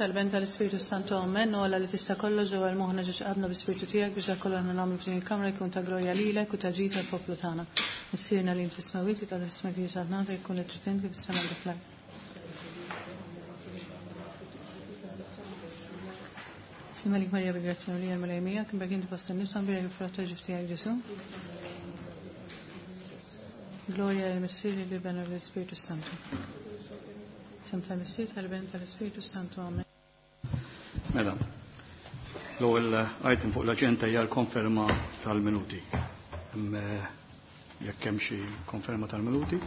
Tal-Ben tal-Ispirtu Santu Amen, u Alla li tista' kollox ġewwa l-moħħna ġiex qabna bi-Spirtu tiegħek biex dak kollu aħna nagħmlu f'din il-kamra jkun ta' glorja lilek u ta' ġid għall-poplu tagħna. Missierna li int fis-smewwiet, jitqaddes ismek jiġi saltnatek, ikun li trid int kif fis-sema kif fl-art. Slim għalik Marija bi grazzja mimlija l-Mulej miegħek, imbagħad inti fost in-nisa mbierek il-frott tal-ġuf tiegħek Ġesù. Glorja lill-Missier, lill-Iben u lill-Ispirtu Santu. Sem tal-Missier, tal-Iben, tal-Ispirtu Santu. Amen. Mela, l-ewwel item fuq l-aġenda hija l-konferma tal-minuti. Jekk hemm xi konferma tal-minuti?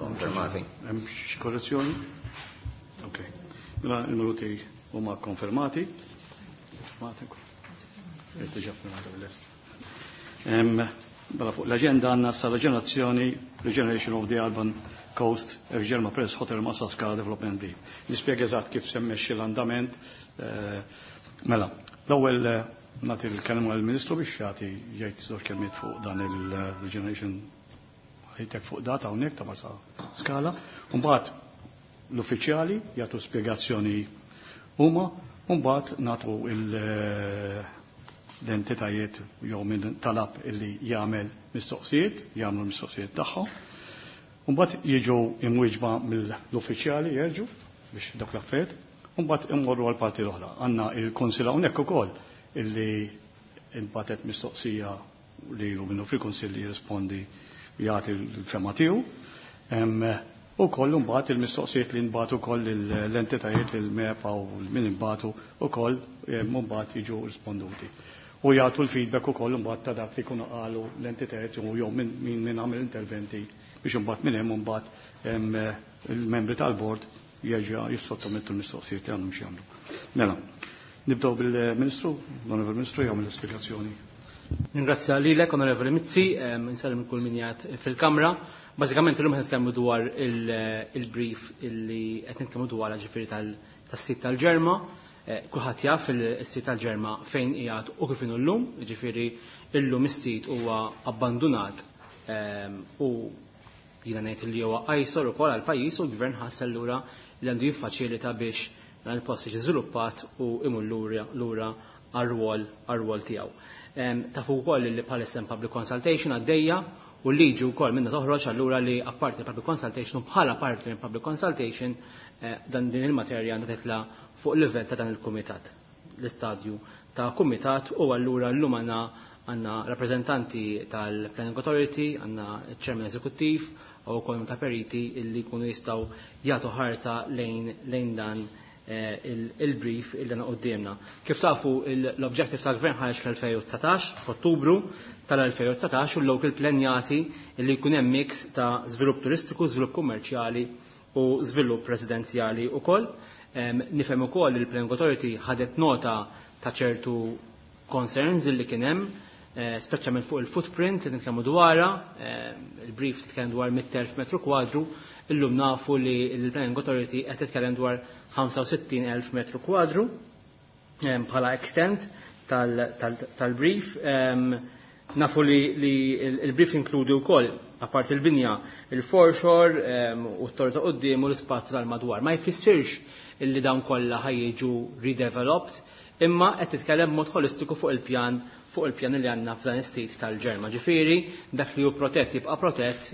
Konfermati. Hemm xi korrezzjoni? Ok. Mela l-minuti huma konfermati. Konfermati. Diġà firmati bil-lest. Mela fuq l-aġenda għandna sa reġenerazzjoni Regeneration of the Urban Coast Germa Press Hotel Marsaskala Development B. Nispjega eżatt kif semmexxi l-andament. Mela, l-ewwel nagħti l-kelma lill-Ministru biex jagħti jgħid żewġ kelmiet fuq dan il-regeneration high-tech fuq data hawnhekk ta' Marsa Skala. Mbagħad l-uffiċjali jagħtu spjegazzjoni huma, u mbagħad nagħtu l-entitajiet jew min talab illi jagħmel mistoqsijiet, jagħmlu mistoqsijiet tagħhom. Mbagħad jiġu imwieġba mill-uffiċjali jerġu biex dak l-affarijiet, u mbagħad immorru għal parti l-oħra. Għandna il-Kunsill hawnhekk ukoll illi inbatet mistoqsija lilu minnu fil-Kunsill li jirrispondi jagħti l-fema tiegħu. U koll mbagħad il-mistoqsijiet li nbagħtu wkoll l-entitajiet il-MEPA u min inbagħtu ukoll mbagħad jiġu risponduti. U jagħtu l-feedback ukoll imbagħad ta' dak li jkunu qalu l-entitajiet jew min min għamel interventi biex imbagħad minn hemm imbagħad il-membri tal-bord jerġa' jissottomettu l-mistoqsijiet li għandhom x'jagħmlu. Mela, nibdew bil-Ministru, l-Onorevoli Ministru jagħmel l-ispjegazzjoni. Ningrazzja lilek, Onorevoli Mizzi, insellem kull min qiegħed fil-Kamra. Bażikament illum qed nitkellmu dwar il-brief illi qed nitkellmu dwar ġifieri tas-sit tal-Ġerma. Kulħadd jaf il-sit tal-Ġerma fejn qiegħed u kif inhu llum, ġifieri illum is-sit huwa abbandunat u jiena ngħid li huwa qajsor ukoll għall-pajjiż u l-gvern ħass allura li għandu jiffaċilita biex dan il-post jiġi żviluppat u imur lura għar-rwol tiegħu. Tafu wkoll li bħalissa hemm public consultation għaddejja u l-liġi wkoll minna toħroġ allura li apparti public consultation u bħala parti minn public consultation dan din il-materja għandha titla' fuq livell ta' dan il-kumitat, l-istadju ta' kumitat u allura llum għandna rappreżentanti tal-Planning Authority, għandna ċ-Chairman Eżekuttiv u wkoll ta' periti illi jkunu jistgħu jagħtu ħarsa lejn dan il-brief il għandna quddiemna. Kif tafu l-objective tal-Gvern ħareġ fl-2019, f'Ottubru tal-2019 u l-local plan jagħti li jkun hemm mix ta' żvilupp turistiku, żvilupp kummerċjali u żvilupp residenzjali wkoll. Nifhem ukoll li l-Planning Authority ħadet nota ta' ċertu concerns illi kien hemm, speċjalment fuq il-footprint li nitkellmu dwarha, il-brief titkellem dwar 100,000 metru kwadru, illum nafu li l-Planning Authority qed titkellem dwar 65,000 metru kwadru bħala extent tal-brief. Nafu li il-brief inkludi wkoll apart il-binja, il-foreshore u t-torri ta' quddiem u l-ispazju tal-madwar. Ma jfissirx illi dawn kollha ħajjiġu redeveloped, imma qed titkellem b'mod holistiku fuq il-pjan li għandna f'dan is-sit tal-Ġerma. Ġifieri dak li hu protett jibqa' protett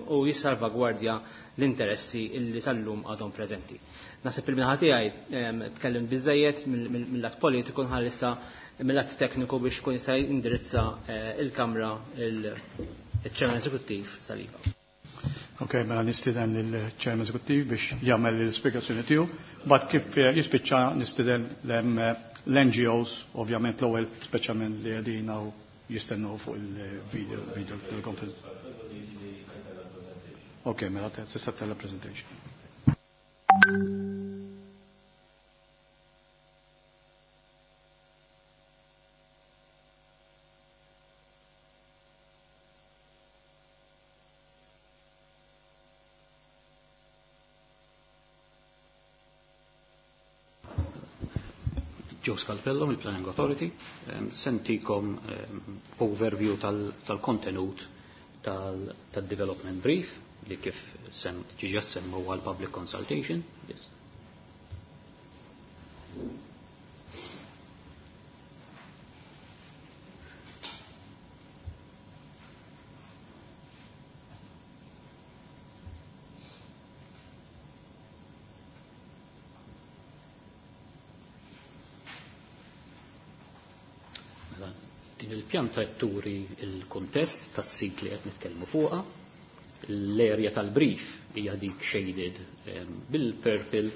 u jissalvagwardja l-interessi illi sal-lum għadhom preżenti. Naħseb il-minaħa tiegħi tkellim biżejjed mill-lat politiku nħallissa mill-lat tekniku biex kun jista' jindirizza il-Kamra il-Chairman Eżekuttiv Saliba. Ok, mela nistieden lill-Chairman Eżekuttiv biex jagħmel l-ispjegazzjoni tiegħu. Bad kif jispiċċa nistieden l-NGOs, ovvjament l-ewwel speċjalment li qegħdin hawn jistennew fuq il-video video teleconference. Ok, mela tista' tella presentation. Joe Scalpello mill-Planning Authority, sentikom overview tal-kontenut tal-development brief li kif ġiġa semmu għal public consultation. Yes. Din il-pjanta qed turi il-kuntest tas-sit li qed nitkellmu fuqha. L-area tal-brief hija dik shaded bil-purple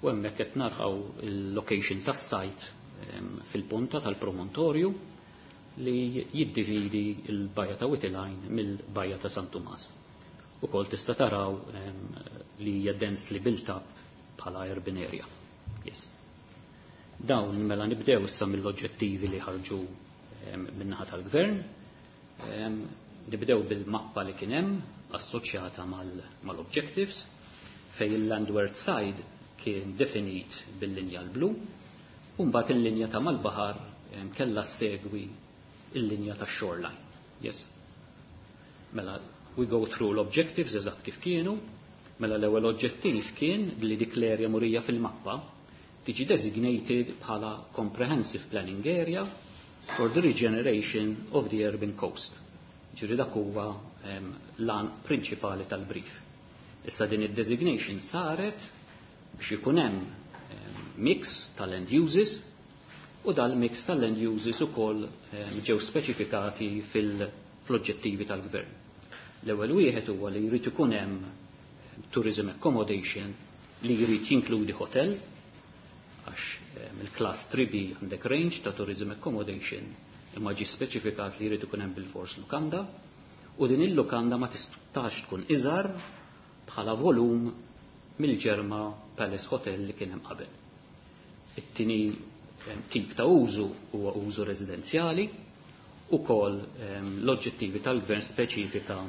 u hemmhekk qed naraw il-location tas-site fil-punta tal-promontorju li jiddividi l-bajja ta' Wied il-Għajn mill-bajja ta' San Tumas. Ukoll tista' taraw li hija densely built up bħala urban area. Yes. Dawn mela nibdew issa mill-oġġettivi li ħarġu min-naħa tal-gvern. Nibdew bil-mappa li kien hemm assoċjata mal-objectives fej il-landward side kien definit bil-linja l-blu u mbagħad il-linja ta' mal-baħar kellha segwi il-linja ta' shoreline. Yes. Mela, we go through l-objectives eżatt kif kienu. Mela l-ewwel oġġettiv kien li dik l-area murija fil-mappa tiġi designated bħala Comprehensive Planning Area for the Regeneration of the Urban Coast. Ġifieri dak huwa l-għan prinċipali tal-brief. Issa din id-designation saret biex ikun hemm mix tal-land uses u dal-mix tal-land uses ukoll ġew speċifikati fil-oġġettivi tal-gvern. L-ewwel wieħed huwa li jrid ikun hemm tourism accommodation li jrid jinkludi hotel, għax il-class 3B għandek range ta' tourism accommodation imma ġi speċifikat li jrid ikun hemm bil-fors lukanda, u din il-lukanda ma tistax tkun iżgħar bħala volum mill-Ġerma Palace Hotel li kien hemm qabel. It-tieni tip ta' użu huwa użu residenzjali, ukoll l-oġġettivi tal-gvern speċifika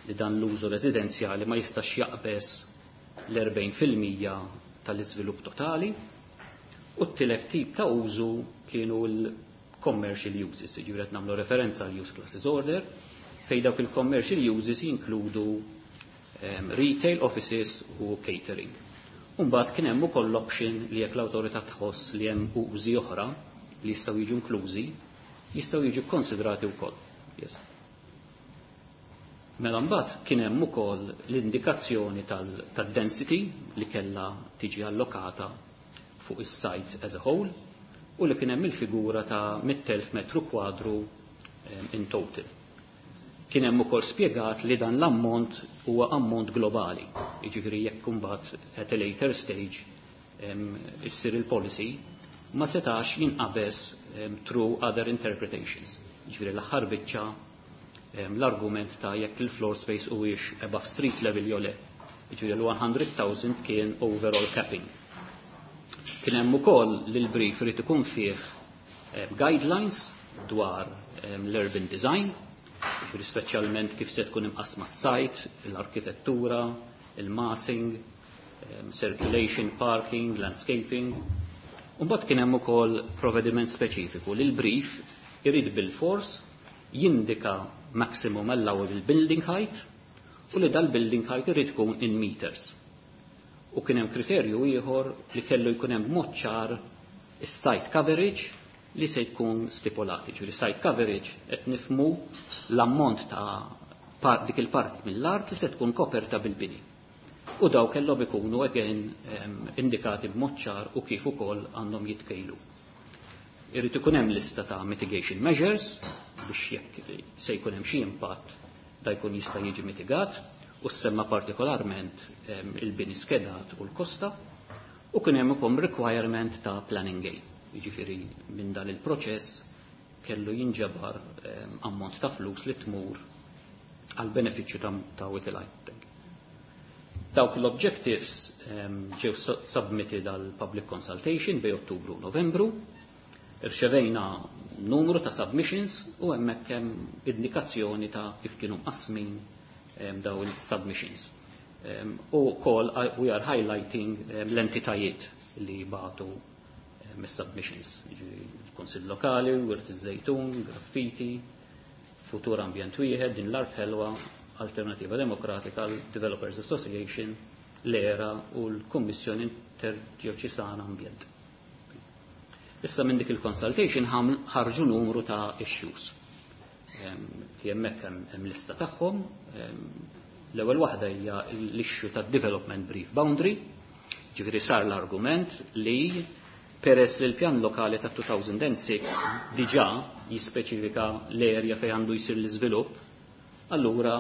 li dan l-użu residenzjali ma jistax jaqbeż l-40% tal-iżvilupp totali, u t-tielet tip ta' użu kienu l-commercial uses, jiġifieri qed nagħmlu referenza għal use classes order, fej dawk il-commercial uses jinkludu retail, offices u catering. Umbagħad kien hemm ukoll l-option li jekk l-awtorità tħoss li hemm użi oħra li jistgħu jiġu inklużi, jistgħu jiġu konsidrati wkoll. Yes. Mela mbagħad kien hemm ukoll l-indikazzjoni tad-density li kellha tiġi allokata fuq is-site as a whole u li kien hemm il-figura ta' 100,000 metru kwadru in total. Kien hemm ukoll spjegat li dan l-ammont huwa ammont globali. Jiġifieri jekk imbagħad at a later stage issir il-policy ma setax jinqabeż through other interpretations. Jiġifieri l-aħħar biċċa l-argument ta' jekk il-floor space huwiex above street level jew le. Jiġifieri l-100,000 kien overall capping. Kien hemm ukoll li l-brief irid ikun fih guidelines dwar l-urban design, jiġifieri speċjalment kif se tkun imqasma s-site, l-arkitettura, il-massing, circulation, parking, landscaping. U mbagħad kien hemm ukoll provvediment speċifiku li l-brief irid bil-fors jindika maximum allowable building height u li dal-building height irid ikun in meters. U kien hemm kriterju ieħor li kellu jkun hemm mod ċar is-site coverage li se jkun stipulati. Ġifieri site coverage qed nifhmu l-ammont ta' dik il-parti mill-art li se tkun koperta bil-bini. U daw kellhom ikunu again indikati b'mod ċar u kif ukoll għandhom jitkejlu. Irid ikun hemm lista ta' mitigation measures biex jekk se jkun hemm xi impatt da jkun jista' jiġi mitigat, u semma partikolarment il-bini skedat u l-kosta, u kien hemm ukoll requirement ta' planning gain. Jiġifieri minn dan il-proċess kellu jinġabar ammont ta' flus li tmur għal benefiċċju ta' Wied il-Għajn. Dawk l-objectives ġew submitted għal public consultation bej Ottubru u Novembru. Irċevejna numru ta' submissions u hemmhekk hemm indikazzjoni ta' kif kienu mqasmin daw il-submissions. U kol we are highlighting l-entitajiet li bagħtu mis-submissions. Il-Kunsill Lokali, Wirt iż-Żejtun, Graffiti, Futur Ambjent Wieħed, Din l-Art Ħelwa, Alternativa Demokratika, Developers Association, l-ERA u l-Kummissjoni Interdioċesana Ambjent. Issa minn dik il-consultation ħarġu numru ta' issues. Hemmhekk hemm lista tagħhom. L-ewwel waħda hija l-issue ta' development brief boundary, ġifieri sar l-argument li Peress li l-pjan lokali ta' 2006 diġà jispeċifika l-erja fejn għandu jsir l-iżvilupp, allura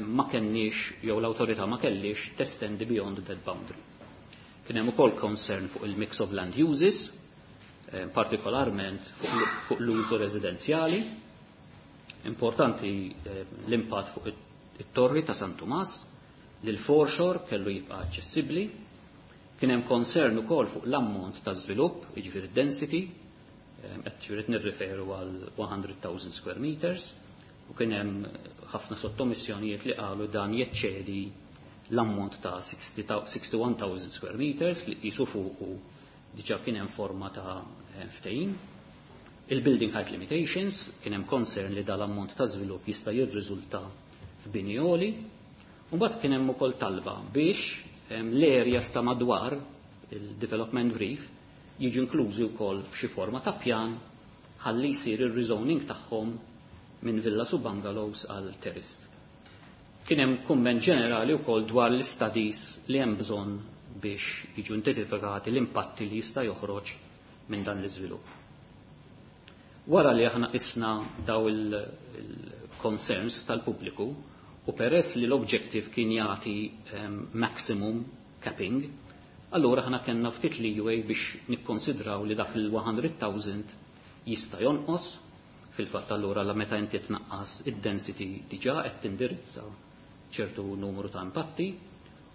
ma kenniex jew l-awtorità ma kellix testendi beyond that boundary. Kien hemm ukoll concern fuq il-mix of land uses, partikolarment fuq l-użu residenzjali. Importanti l-impatt fuq it-torri ta' San Tumas, li l-foreshore kellu jibqa' aċċessibbli. Kien hemm concern ukoll fuq l-ammont ta' żvilupp, jiġifieri density, qed ġifieri nirriferu għal 100,000 square meters, u kien hemm ħafna sottomissjonijiet li qalu dan jeċċedi l-ammont ta' 61,000 square meters li qisu fuqu diġà kien hemm forma ta' ftehim. Il-building height limitations kien hemm concern li dal-ammont ta' żvilupp jista' jirriżulta f'bini għoli. U mbagħad kien hemm ukoll talba biex l-areas ta' madwar il-development brief jiġu inklużi wkoll f'xi forma ta' pjan ħalli jsir ir-rezoning tagħhom minn villas u bungalows għal terraced. Kien hemm kumment ġenerali wkoll dwar l-studies li hemm bżonn biex jiġu identifikati l-impatti li jista' joħroġ minn dan l-iżvilupp. Wara li aħna qisna daw il-concerns tal-pubbliku u peress li l-objective kien jagħti maximum capping, allura aħna kellna ftit leeway biex nikkonsidraw li dak il-100,000 jista' jonqos. Fil-fatt allura la meta inti tnaqqas id-density diġà qed tindirizza ċertu numru ta' impatti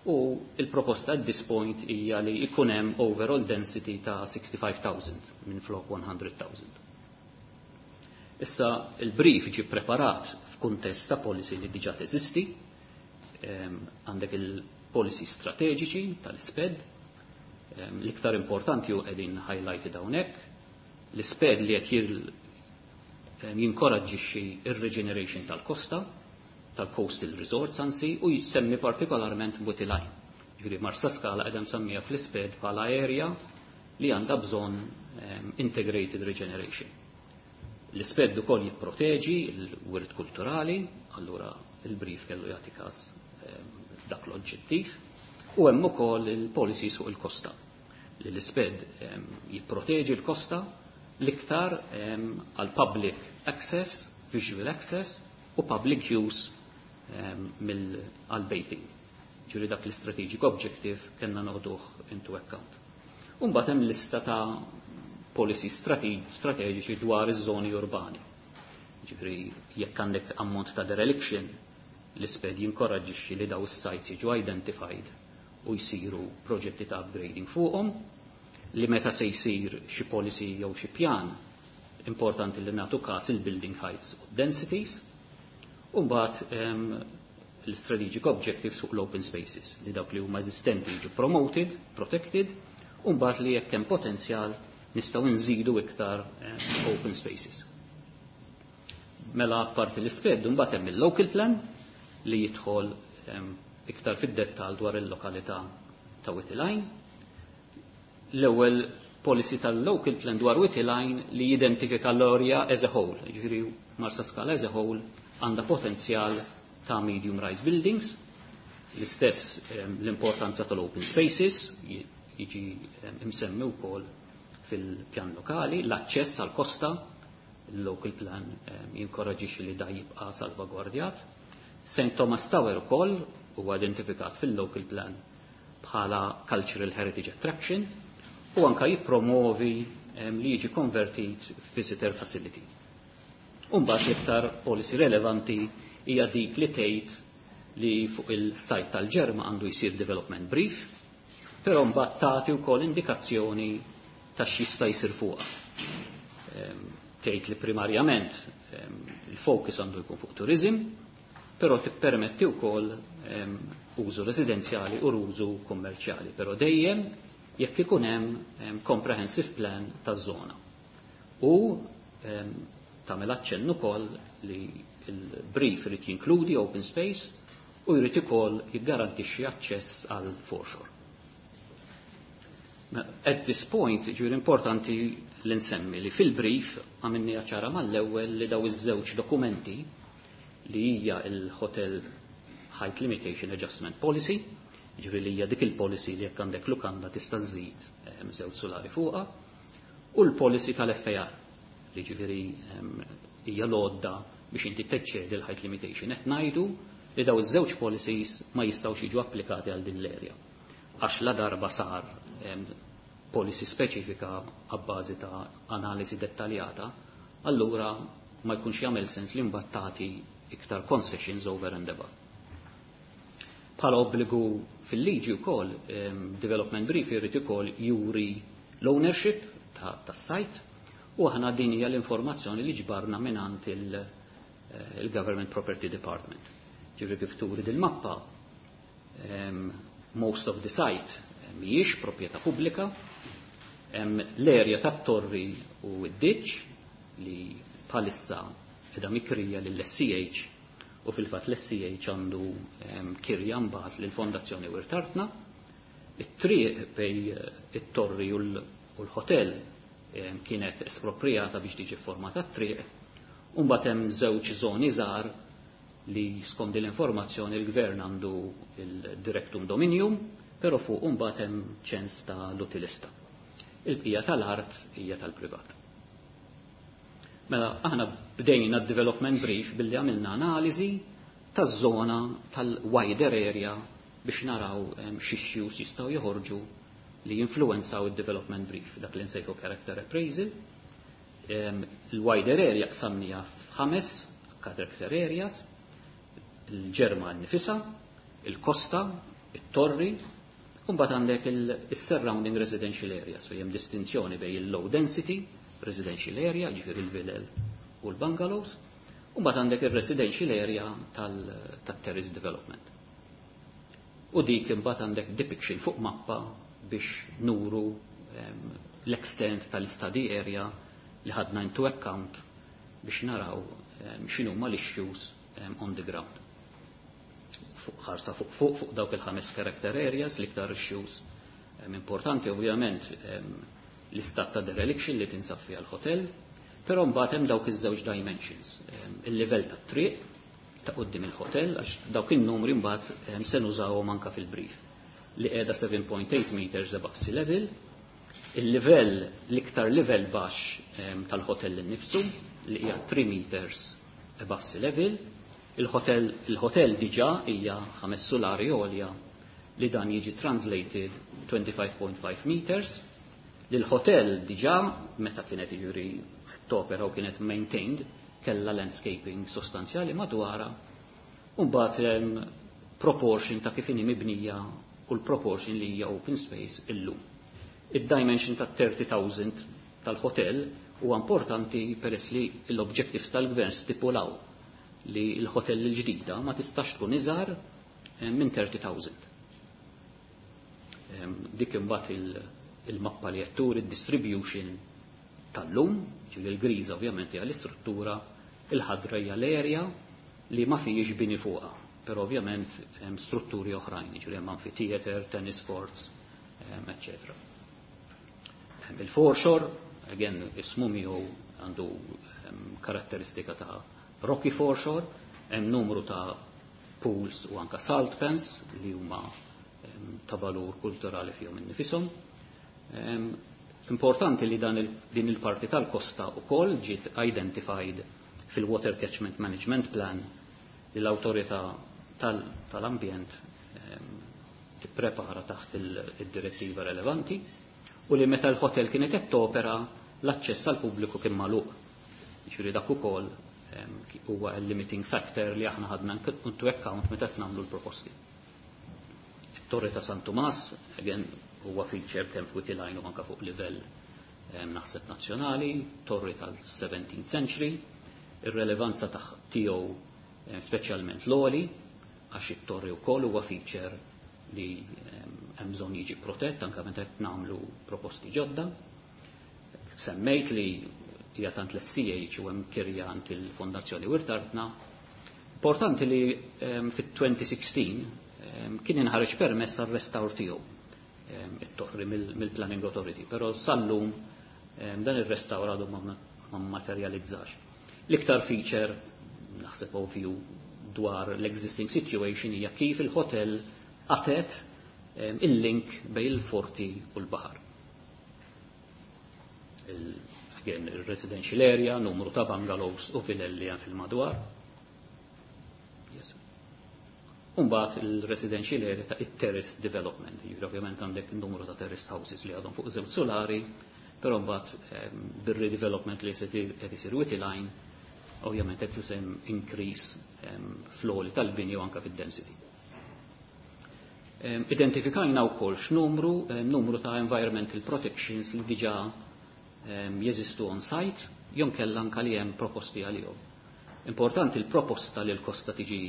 u il-proposta at this point hija li jkun hemm overall density ta' 65,000 minn flok 100,000. Issa il-brief ġi preparat f'kuntest ta' policy li diġà teżisti, għandek il-policy strateġiċi tal-SPED, l-iktar importanti u qegħdin highlighted hawnhekk, l-SPED li qed jinkoraġġixxi ir-regeneration tal-kosta, tal-coastal resorts anzi, u jsemmi partikolarment Witti Line. Ġifieri Marsaskala qiegħda msemmija fl-SPED bħala area li għandha bżonn integrated regeneration. L-SPED ukoll jipproteġi l-wirt kulturali, allura il-brief kellu jagħti każ dak l-oġġettiv, u hemm ukoll il-policies fuq il-kosta. Li l-SPED jipproteġi l-kosta l-iktar għal public access, visual access u public use għal bathing. Ġifieri dak l-strategic objective kellna noħduh into account. Umbagħad hemm lista ta' policy strateġiċi dwar iż-żoni urbani. Ġifieri jekk għandek ammont ta' dereliction, l-SPED jinkoraġġixxi li daw is-sites jiġu identified u jsiru proġetti ta' upgrading fuqhom, li meta se jsir xi policy jew xi pjan importanti li nagħtu każ il-building heights u densities, u mbagħad l-strategic objectives fuq l-open spaces li dawk li huma eżistenti jiġu promoted, protected, u mbagħad li jekk hemm potenzjal nistgħu nżidu iktar open spaces. Mela apparti l-SPED mbagħad hemm il-local plan li jidħol iktar fid-dettall dwar il-lokalità ta' Witti Line. L-ewwel policy tal-local plan dwar Witti Line li jidentifika l-area as a whole, ġifieri Marsaskala as a whole għandha potenzjal ta' medium rise buildings, l-istess l-importanza tal-open spaces jiġi imsemmi wkoll fil-pjan lokali, l-aċċess għal kosta, il-local plan jinkoraġixxi li da jibqa' salvagwardjat. St. Thomas Tower ukoll huwa identifikat fil-local plan bħala cultural heritage attraction u anka jippromovi li jiġi konvertit visitor facility. Umbagħad l-iktar policy relevanti hija dik li tgħid li fuq il-site tal-Ġerma għandu jsir development brief, però mbagħad tagħti wkoll indikazzjoni ta' x'jista' jsir fuqha. Tgħid li primarjament il-focus għandu jkun fuq tourism, però tippermetti wkoll użu residenzjali u użu kummerċjali, però dejjem jekk ikun hemm comprehensive plan taż-żona. U tagħmel aċċenn ukoll li il-brief irid jinkludi open space u jrid ukoll jiggarantixxi aċċess għal foreshore. At this point, ġifieri importanti li nsemmi li fil-brief għamilni ċara mal-ewwel li daw iż-żewġ dokumenti li hija il-Hotel Height Limitation Adjustment Policy, ġifieri li hija dik il-policy li jekk għandek lukanda tista' żżid żewġ solari fuqha, u l-policy tal-FAR li ġifieri hija l-għodda biex inti teċċedi l-height limitation. Qed ngħidu li daw iż-żewġ policies ma jistgħux jiġu applikati għal din l-area. Għax la darba sar policy speċifika għabbażi ta' analiżi dettaljata, allura ma jkunx jagħmel sens li mbagħad tagħti iktar concessions over and above. Bħala obbligu fil-liġi wkoll, development brief irid ukoll juri l-ownership tas-site u aħna din hija l-informazzjoni li ġbarna mingħand il-Government Property Department. Ġifieri kif turi dil-mappa, most of the site mhijiex proprjetà pubblika, l-erja tat-torri u d-ditch li bħalissa qiegħda mikrija lill-SCH u fil-fatt l-SCH għandu kirja mbagħad lill-Fondazzjoni Wirt Artna. It-triq bej it-torri u l-hotel kienet esproprijata biex tiġi formata t-triq. U mbagħad hemm żewġ żoni żgħar li skont l-informazzjoni l-gvern għandu il-directum dominium, però fuq mbagħad hemm ċens ta' l-utilista. Il-bqija tal-art hija tal-privat. Mela, aħna bdejna d-development brief billi għamilna analiżi taż-żona tal-wider area biex naraw x'issues jistgħu joħorġu li jinfluenzaw id-development brief, dak li nsejħu character appraisal. Il-wider area qsamnija f'ħames character areas, il-Ġerma nifisa, il-kosta, it-torri, u mbagħad għandek il-surrounding residential areas, so hemm distinzjoni bejn il-low density residential area, ġifieri il-vilel u l-bungalows, u mbagħad għandek il-residential area tal-terrace development. U dik imbagħad għandek depiction fuq mappa biex nuru l-extent tal-study area li ħadna into account biex naraw x'inhuma l-issues on the ground. Fuq ħarsa fuq fuq fuq dawk il-ħames character areas l-iktar issues importanti ovvjament l-istat ta' dereliction li tinsab fiha l-hotel, però mbagħad hemm dawk iż-żewġ dimensions. Il-livell tat-triq ta' quddiem il-hotel għax dawk in-numri mbagħad se nużawhom anke fil-brief li qiegħda 7.8 meters above sea level, il-livell l-iktar livell baxx tal-hotel innifsu li hija 3 meters above sea level, il-hotel diġà hija ħames sulari għolja li dan jiġi translated 25.5 meters, li l-hotel diġà meta kienet jiġri topera u kienet maintained kella landscaping sostanzjali madwara u mbagħad proportion ta' kif inhi mibnija u l-proportion li hija open space illum. Id-dimension ta' 30,000 tal-hotel huwa importanti peress li l-objectives tal-gvern stipulaw li l-hotel il-ġdida ma tistax tkun iżgħar minn 30,000. Dik imbagħad il-mappa li qed turi id-distribution tal-lum, ġifieri l-griża ovvjament hija l-istruttura, il-ħadra hija l-area li ma fijiex bini fuqha, però ovvjament hemm strutturi oħrajn, ġifieri hemm amphitheater, tennis courts, etc. Il-foreshore, again, ismu miegħu għandu karatteristika ta' rocky foreshore, hemm numru ta' pools u anka salt pans li huma ta' valur kulturali fihom innifisom. Importanti li dan din il-parti tal-kosta u koll ġiet identified fil-Water Catchment Management Plan li l-autorità tal-ambjent tipprepara taħt il-direttiva relevanti u li meta l-hotel kienet qed topera l-aċċess għal pubbliku kien magħluq. Ġifieri dak ukoll huwa l-limiting factor li aħna ħadna into account meta qed nagħmlu l-proposti. Torre ta' San Tumas, again, huwa feature kemm fuq il u anka fuq livell naħseb nazzjonali, torri tal-17th century, ir-relevanza tiegħu speċjalment l-għoli, għax it-torri wkoll huwa feature li hemm bżonn jiġi protett anke meta qed nagħmlu proposti ġodda. Semmejt li hija tant l-SCH u hemm kirja għand il-Fondazzjoni Wirt Artna. Importanti li fit-2016 kien inħareġ permess għar-restawr tiegħu it-torri mill-Planning Authority, però sallum dan ir-restawr għadu ma materializzax. L-iktar feature, naħseb ovvju dwar l-existing situation hija kif il-hotel għatet il-link bejn il-forti u l-baħar. Again, il-residential area, numru ta' bungalows u vilelli hemm fil-madwar. Yes. Umbagħad il-residential area ta' it-terrace development. Jiġifieri ovvjament għandek numru ta' terrace houses li għadhom fuq żewġ solari, però mbagħad bir-redevelopment li se qed isir Witte Line, ovvjament qed isem increase fl-għoli tal-bini u anke fid-density. Identifikajna wkoll x'numru numru ta' environmental protections li diġà jeżistu on site, jew kellha anke li hemm proposti għalihom. Importanti l-proposta li l-kosta tiġi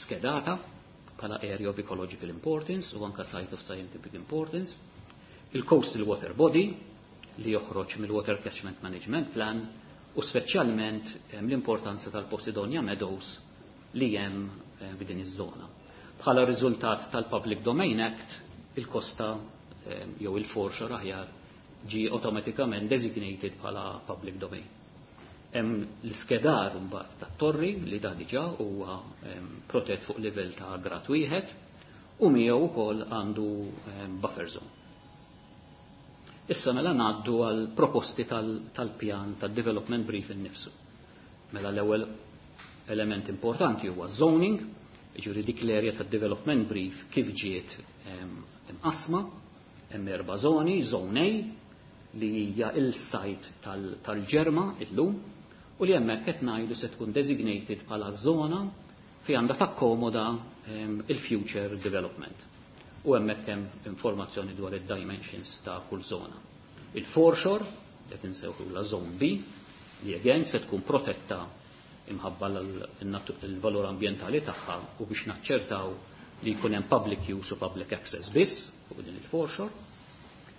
skedata bħala area of ecological importance u anka site of scientific importance, il-coastal water body li joħroġ mill-Water Catchment Management Plan u speċjalment l-importanza tal-Posidonia Meadows li hemm f'din iż-żona. Bħala riżultat tal-Public Domain Act, il-kosta jew il-foreshore aħjar ġi automatikament designated bħala public domain. Hemm l-iskedar mbagħad tat-torri li da diġà huwa protett fuq livell ta' grad wieħed u miegħu wkoll għandu buffer zone. Issa mela ngħaddu għal proposti tal-pjan tad-development brief innifsu. Mela l-ewwel element importanti huwa zoning, jiġifieri dik l-area tad-development brief kif ġiet imqasma, hemm erba' zoni, zone A li hija il-site tal-Ġerma illum u li hemmhekk qed ngħidu se tkun designated bħala żona fi għandha takkomoda il-future development. U hemmhekk hemm informazzjoni dwar id-dimensions ta' kull żona. Il-foreshore, qed insewħu la zone B, li again se tkun protetta imħabba l-valur ambjentali tagħha u biex naċċertaw li jkun hemm public use u public access biss fuq din il-foreshore.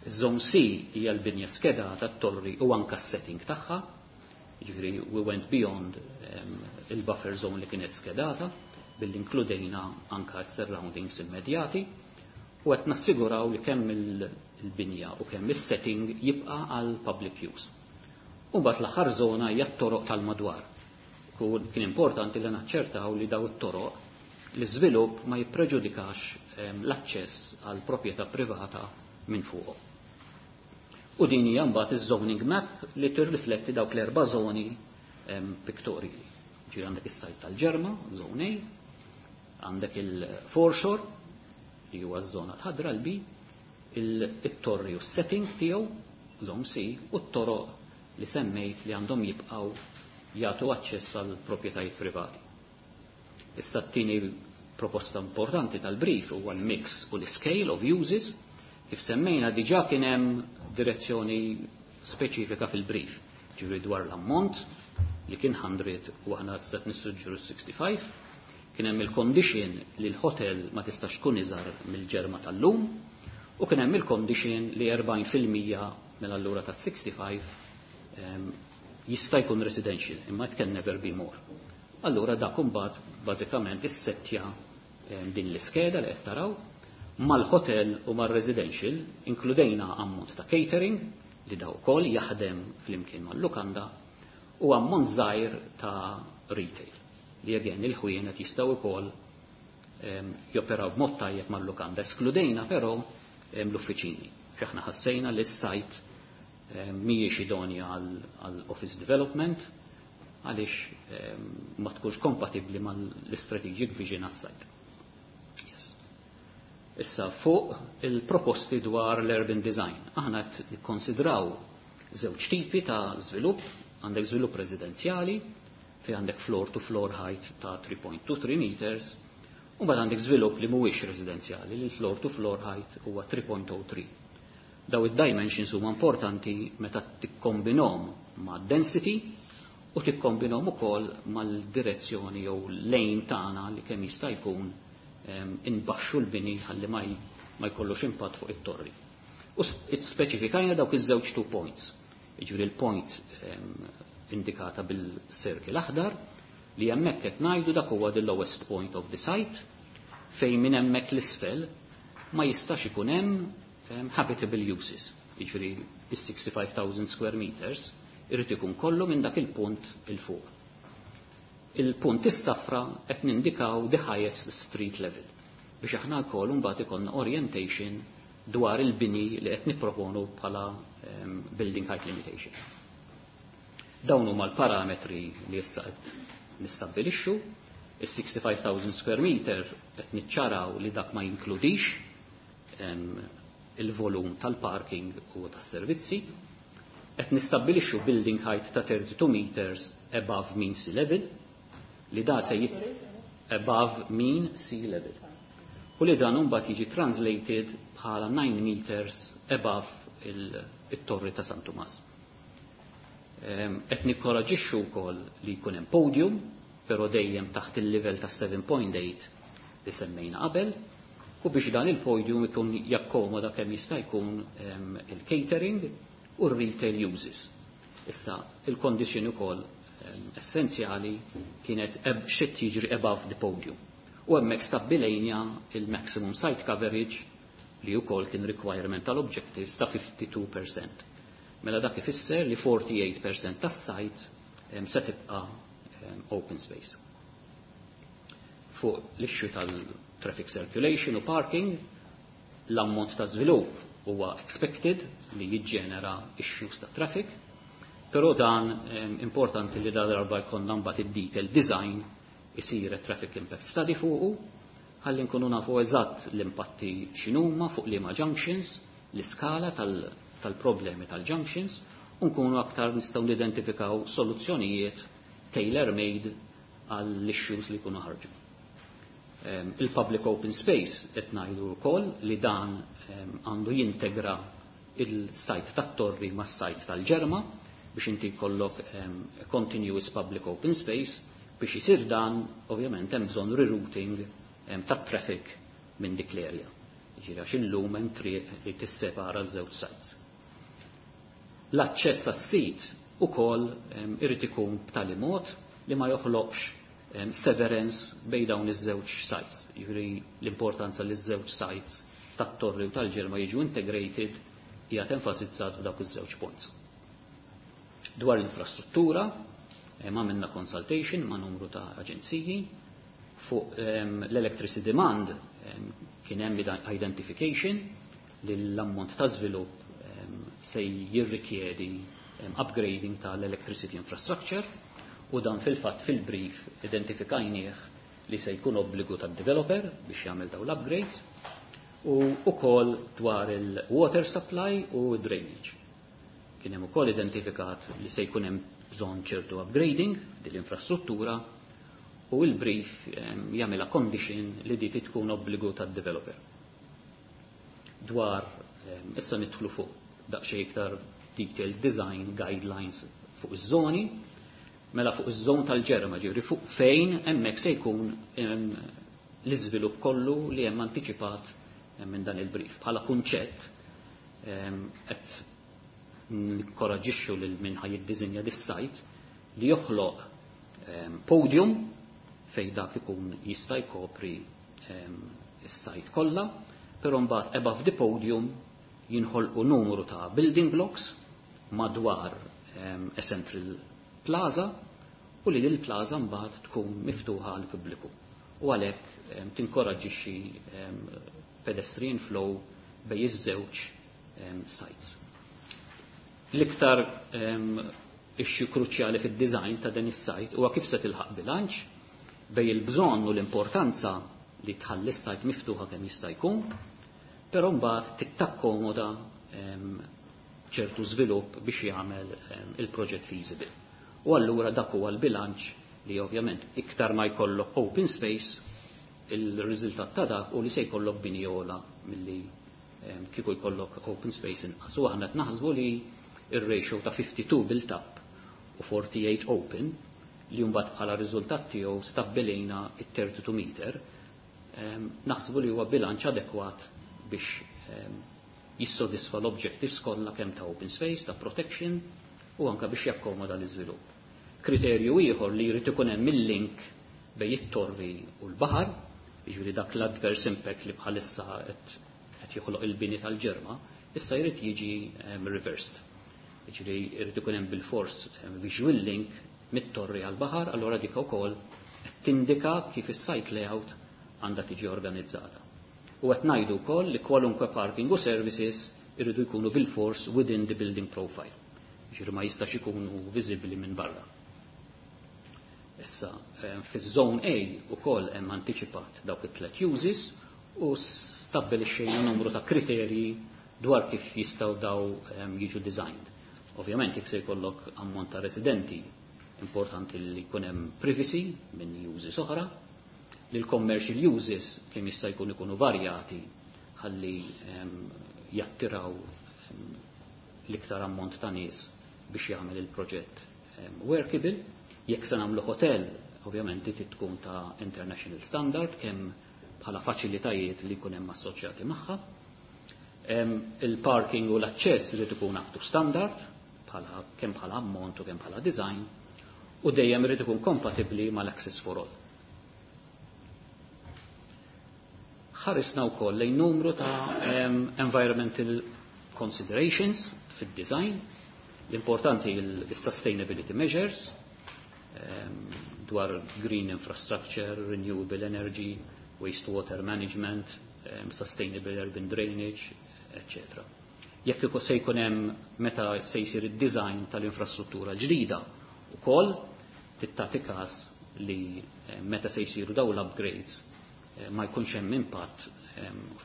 Zone C hija l-binja skedata tat-torri u anka s-setting tagħha, jiġifieri we went beyond il-buffer zone li kienet skedata billi inkludejna anka s-surroundings immedjati u qed nassiguraw li kemm il-binja u kemm is-setting jibqa' għal public use. U mbagħad l-aħħar żona hija t-toroq tal-madwar. Kien importanti li naċċertaw li daw it-toroq l-iżvilupp ma jippreġudikax l-aċċess għal proprjetà privata minn fuqhom. U din hija mbagħad iż-zoning map li tirrifletti dawk l-erba' żoni pictorially. Ġifieri għandek is-sajt tal-Ġerma, zone A, għandek il-foreshore li huwa ż-żona l-ħadra l-B, it-torri u s-setting tiegħu, zone C, u t-toroq li semmejt li għandhom jibqgħu jagħtu aċċess għal proprjetajiet privati. Issa t-tieni proposta importanti tal-brief huwa l-mix u l-scale of uses. Kif semmejna diġà kien hemm direzzjoni speċifika fil-brief, ġifieri dwar l-ammont li kien 100 u aħna se nissuġġeru 65, kien hemm il-condition li l-hotel ma tistax tkun iżgħar mill-Ġerma tal-lum u kien hemm il-condition li 40% mill-allura ta' 65 jista' jkun residential, imma it can never be more. Allura dak imbagħad bażikament issettja din l-iskeda li qed taraw mal-hotel u mal-residential inkludejna ammont ta' catering li daw ukoll jaħdem flimkien mal-lukanda u ammont żgħir ta' retail li again il-ħwienet jistgħu wkoll joperaw b'mod tajjeb mal-lukanda. Eskludejna però l-uffiċini. X'aħna ħassejna li s-sajt mhijiex idonja għal office development għaliex ma tkunx kompatibbli mal-strategic vision għas-sajt. Yes. Issa fuq il-proposti dwar l-urban design. Aħna qed nikkonsidraw żewġ tipi ta' żvilupp, għandek żvilupp residenzjali fi għandek floor to floor height ta' 3.23 meters, u mbagħad għandek żvilupp li mhuwiex residenzjali li floor to floor height huwa 3.03. Daw id-dimensions huma importanti meta tikkombinhom ma' density u tikkombinhom ukoll mal-direzzjoni jew lejn tagħna li kemm jista' jkun inbaxxu l-bini ħalli ma jkollux impatt fuq it-torri. U speċifikajna dawk iż-żewġ two points. Jiġifieri l-point indikata bil-circle aħdar li hemmhekk qed ngħidu dak huwa the lowest point of the site fejn minn hemmhekk l-isfel ma jistax ikun hemm habitable uses. Jiġifieri is-65,000 square meters irid ikun kollu minn dak il-punt il fuq. Il-punt is-safra qed nindikaw the highest street level biex aħna wkoll mbagħad ikollna orientation dwar il-bini li qed nipproponu bħala building height limitation. Dawn huma l-parametri li issa qed nistabbilixxu. Is-65,000 square meter qed niċċaraw li dak ma jinkludix il-volum tal-parking u tas-servizzi. Qed nistabbilixxu building height ta' 32 meters above mean sea level li da se above mean sea level. U li dan mbagħad jiġi translated bħala 9 meters above it-torri ta' San Tumas. Qed nikkoraġixxu wkoll li jkun hemm podium, però dejjem taħt il-livell ta' 7.8 li semmejna qabel, u biex dan il-podium ikun jakkomoda kemm jista' jkun il-catering u r-retail uses. Issa, il-condition ukoll essenzjali kienet xi jiġri above the podium. U hemmhekk stabbilejna il-maximum site coverage li wkoll kien requirement tal-objectives ta' 52%. Mela dak ifisser li 48% tas-site se tibqa' open space. Fuq l-issue tal-traffic circulation u parking, l-ammont ta' żvilupp huwa expected li jiġġenera issues ta' traffic, però dan importanti li dan darba jkollna mbagħad id-detail design isir traffic impact study fuqu, ħalli nkunu nafu eżatt l-impatti x'inhuma fuq liema junctions, l-iskala tal-problemi tal-junctions, u nkunu aktar nistgħu nidentifikaw soluzzjonijiet tailor-made għall-issues li jkunu ħarġu. Il-public open space qed ngħidu wkoll li dan għandu jintegra il-site tat-torri mas-site tal-Ġerma biex inti jkollok continuous public open space. Biex isir dan, ovvjament, hemm bżonn rerouting tat-traffic minn dik l-area. Ġifieri għax illum hemm triq li tissepara ż-żewġ sites. L-aċċess għas-sit ukoll irid ikun b'tali mod li ma joħloqx severance bejn dawn iż-żewġ sites. Jiġifieri l-importanza li ż-żewġ sites tat-torri u tal-Ġerma jiġu integrated hija enfasizzat f'dawk iż-żewġ points. Dwar l-infrastruttura, għamilna consultation ma' numru ta' aġenziji fuq l-electricity demand. Kien hemm identification li l-ammont ta' żvilupp se jirrikjedi upgrading tal-electricity infrastructure, u dan fil-fatt fil-brief identifikajnieh li se jkun obbligu tad-developer biex jagħmel dawn l-upgrades, u ukoll dwar il-water supply u drainage. Kien hemm ukoll identifikat li se jkun hemm bżonn ċertu upgrading din l-infrastruttura u il-brief jagħmilha condition li di tkun obbligu tad-developer. Dwar issa nidħlu fuq daqsxejn iktar detailed design guidelines fuq iż-żoni, mela fuq iż-żon tal-Ġerma, ġifieri fuq fejn hemmhekk se jkun l-iżvilupp kollu li hemm antiċipat minn dan il-brief. Bħala kunċett qed nikkoraġixxu lil min ħa jiddiżinja dis-site li joħloq podium fejn dak ikun jista' jkopri is-site kollha, però mbagħad above the podium jinħolqu numru ta' building blocks madwar a central plaza u li l-plaza mbagħad tkun miftuħa għal pubbliku. U għalhekk tinkoraġġixxi pedestrian flow bejn iż-żewġ sites. L-iktar issue kruċjali fid-design ta' dan is-site huwa kif se tilħaq bilanċ bejn il-bżonn u l-importanza li tħalli s-site miftuħa kemm jista' jkun, però mbagħad tittakkomoda ċertu żvilupp biex jagħmel il-proġett feasible. U allura dak huwa l-bilanċ li ovvjament iktar ma jkollok open space, il-riżultat ta' dak u li se jkollok bini ogħla milli kieku jkollok open space inqas. U aħna qed naħsbu li ir-ratio ta' 52 built up u 48 open, li mbagħad bħala riżultat tiegħu stabbilejna it-32 meter, naħsbu li huwa bilanċ adekwat biex jissodisfa l-objectives kollha kemm ta' open space, ta' protection u anka biex jakkomoda l-iżvilupp. Kriterju ieħor li jrid ikun hemm il-link bejn it-torri u l-baħar, jiġifieri dak l-adverse impact li bħalissa qed joħloq il-bini tal-Ġerma, issa jrid jiġi reversed. Jiġifieri jrid ikun hemm bil-fors visual link mit-torri għal-baħar, allura dik ukoll tindika kif is-site layout għandha tiġi organizzata. U qed ngħidu wkoll li kwalunkwe parking u services irridu jkunu bil-fors within the building profile. Ġifieri ma jistax ikunu viżibbli minn barra. Issa, fiż-zone A ukoll hemm antiċipat dawk it-tlet uses u stabbilixxejna numru ta' kriterji dwar kif jistgħu daw jiġu designed. Ovvjament jekk se jkollok ammont ta' residenti, importanti li jkun hemm privacy minn uses oħra, li l-commercial uses kemm jista' jkun ikunu varjati ħalli jattiraw l-iktar ammont ta' nies biex jagħmel il-proġett workable. Jekk se nagħmlu hotel, ovvjament di tkun ta' international standard kemm bħala faċilitajiet li jkun hemm assoċjati magħha. Il-parking u l-aċċess irid ikun up to standard bħala kemm bħala ammont u kemm bħala design u dejjem irid ikun kompatibbli mal-access for all. Ħarisna wkoll lejn numru ta' environmental considerations fid-design. L-importanti il-sustainability measures dwar green infrastructure, renewable energy, wastewater management, sustainable urban drainage, etc. Jekk se jkun hemm meta se jsir id-design tal-infrastruttura ġdida ukoll tagħti każ li meta se jsiru dawn l-upgrades ma jkunx hemm impatt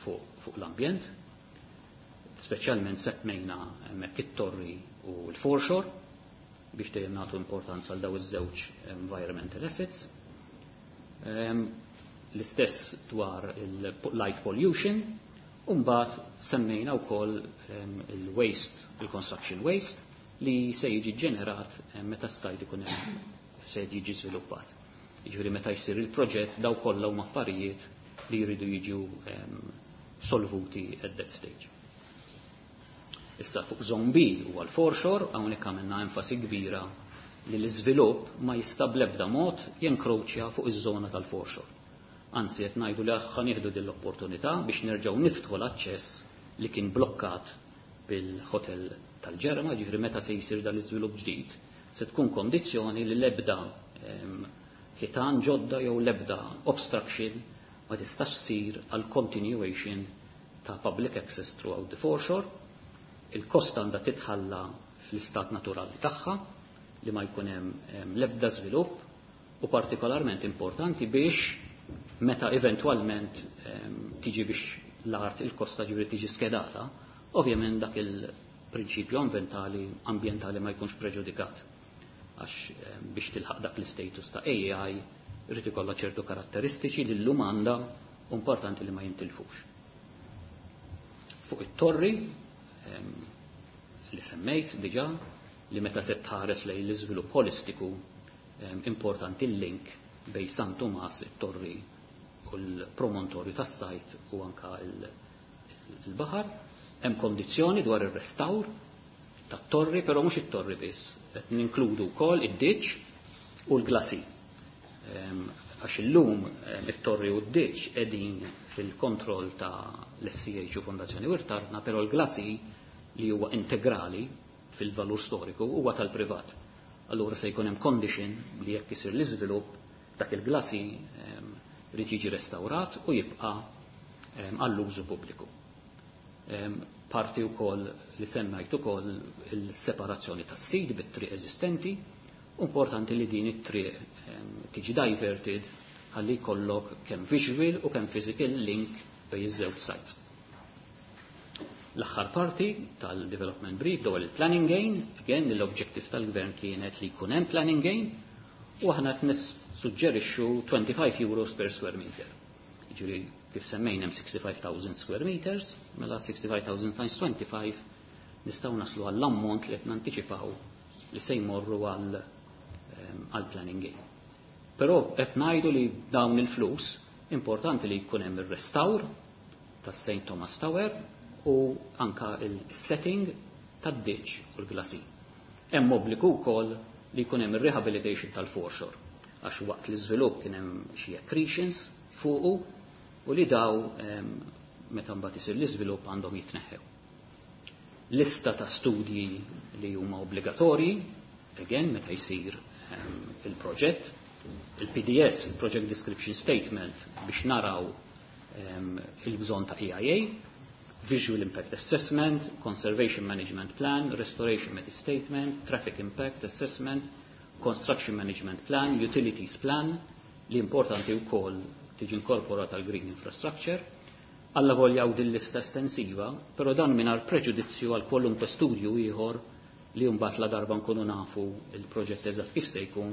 fuq l-ambjent, speċjalment semmejna hemmhekk it-torri u l-foreshore biex dejjem nagħtu importanza għal daw iż-żewġ environmental assets. L-istess dwar il-light pollution, u mbagħad semmejna wkoll il-waste, il-construction waste, li se jiġi ġenerat meta s-sajt ikun hemm se jiġi żviluppat. Jiġifieri meta jsir il-proġett daw kollha huma affarijiet li jridu jiġu solvuti at that stage. Issa fuq zone B huwa l-foreshore, hawnhekk għamilna enfasi kbira li l-iżvilupp ma jista' bl-ebda mod jenkroċja fuq iż-żona tal-foreshore. Anzi qed ngħidu li ħa nieħdu din l-opportunità biex nerġgħu niftħu l-aċċess li kien blokkat bil-hotel tal-Ġerma, ġifieri meta se jsir dan l-iżvilupp ġdid, se tkun kondizzjoni li l-ebda ħitan ġodda jew l-ebda obstruction ma tistax ssir għal continuation ta' public access throughout the foreshore. Il-kosta għandha titħalla fl-istat naturali tagħha li ma jkun hemm l-ebda żvilupp u partikolarment importanti biex meta eventwalment tiġi biex l-art il-kosta ġifieri tiġi skedata, ovvjament dak il-prinċipju ambientali ma jkunx preġudikat. Għax biex tilħaq dak l-status ta' AI irid ikollha ċertu karatteristiċi li llum għandha importanti li ma jintilfux. Fuq it-torri li semmejt diġà li meta se tħares lejn l-iżvilupp holistiku importanti l-link bej San Tumas, it-torri u l-promontorju tas-sajt u anka il-baħar. Hemm kondizzjoni dwar ir-restawr tat-torri, però mhux it-torri biss, qed ninkludu wkoll id-ditch u l-glasi. Għax illum it-torri u d-ditch qegħdin fil-kontroll ta' l-SCH u Fondazzjoni Wirt Artna, però l-glasi li huwa integrali fil-valur storiku huwa tal-privat. Allura se jkun hemm condition li jekk isir l-iżvilupp dak il-glasi irid jiġi restawrat u jibqa' għall-użu pubbliku. Parti wkoll li semmejt ukoll il-separazzjoni tas-sit bit-triq eżistenti, importanti li din it-triq tiġi diverted ħalli jkollok kemm visual u kemm physical link bejn iż-żewġ sites. L-aħħar parti tal-development brief dwar il-planning gain, again l-objective tal-gvern kienet li jkun hemm planning gain u aħna qed nissuġġerixxu 25 euros per square meter. Jiġifieri kif semmejna hemm 65,000 square meters, mela 65,000 times 25 nistgħu naslu għall-ammont li qed nantiċipaw li se jmorru għal planning gain. Però qed ngħidu li dawn il-flus importanti li jkun hemm ir-restawr tas-St. Thomas Tower u anka il-setting tad-ditch u l-glasi. Hemm obbligu wkoll li jkun hemm ir-rehabilitation tal-foreshore għax waqt l-iżvilupp kien hemm xi accretions fuqu u li daw meta mbagħad isir l-iżvilupp għandhom jitneħħew. Lista ta' studji li huma obbligatorji, again meta jsir il-proġett, il-PDS, il-Project Description Statement, biex naraw il-bżonn ta' EIA, Visual Impact Assessment, Conservation Management Plan, Restoration Method Statement, Traffic Impact Assessment, Construction Management Plan, Utilities Plan, li importanti wkoll tiġi inkorporata l-Green Infrastructure, alla volja u din lista estensiva, però dan mingħajr preġudizzju għal kwalunkwe studju ieħor li mbagħad la darba nkunu nafu il-proġett eżatt kif se jkun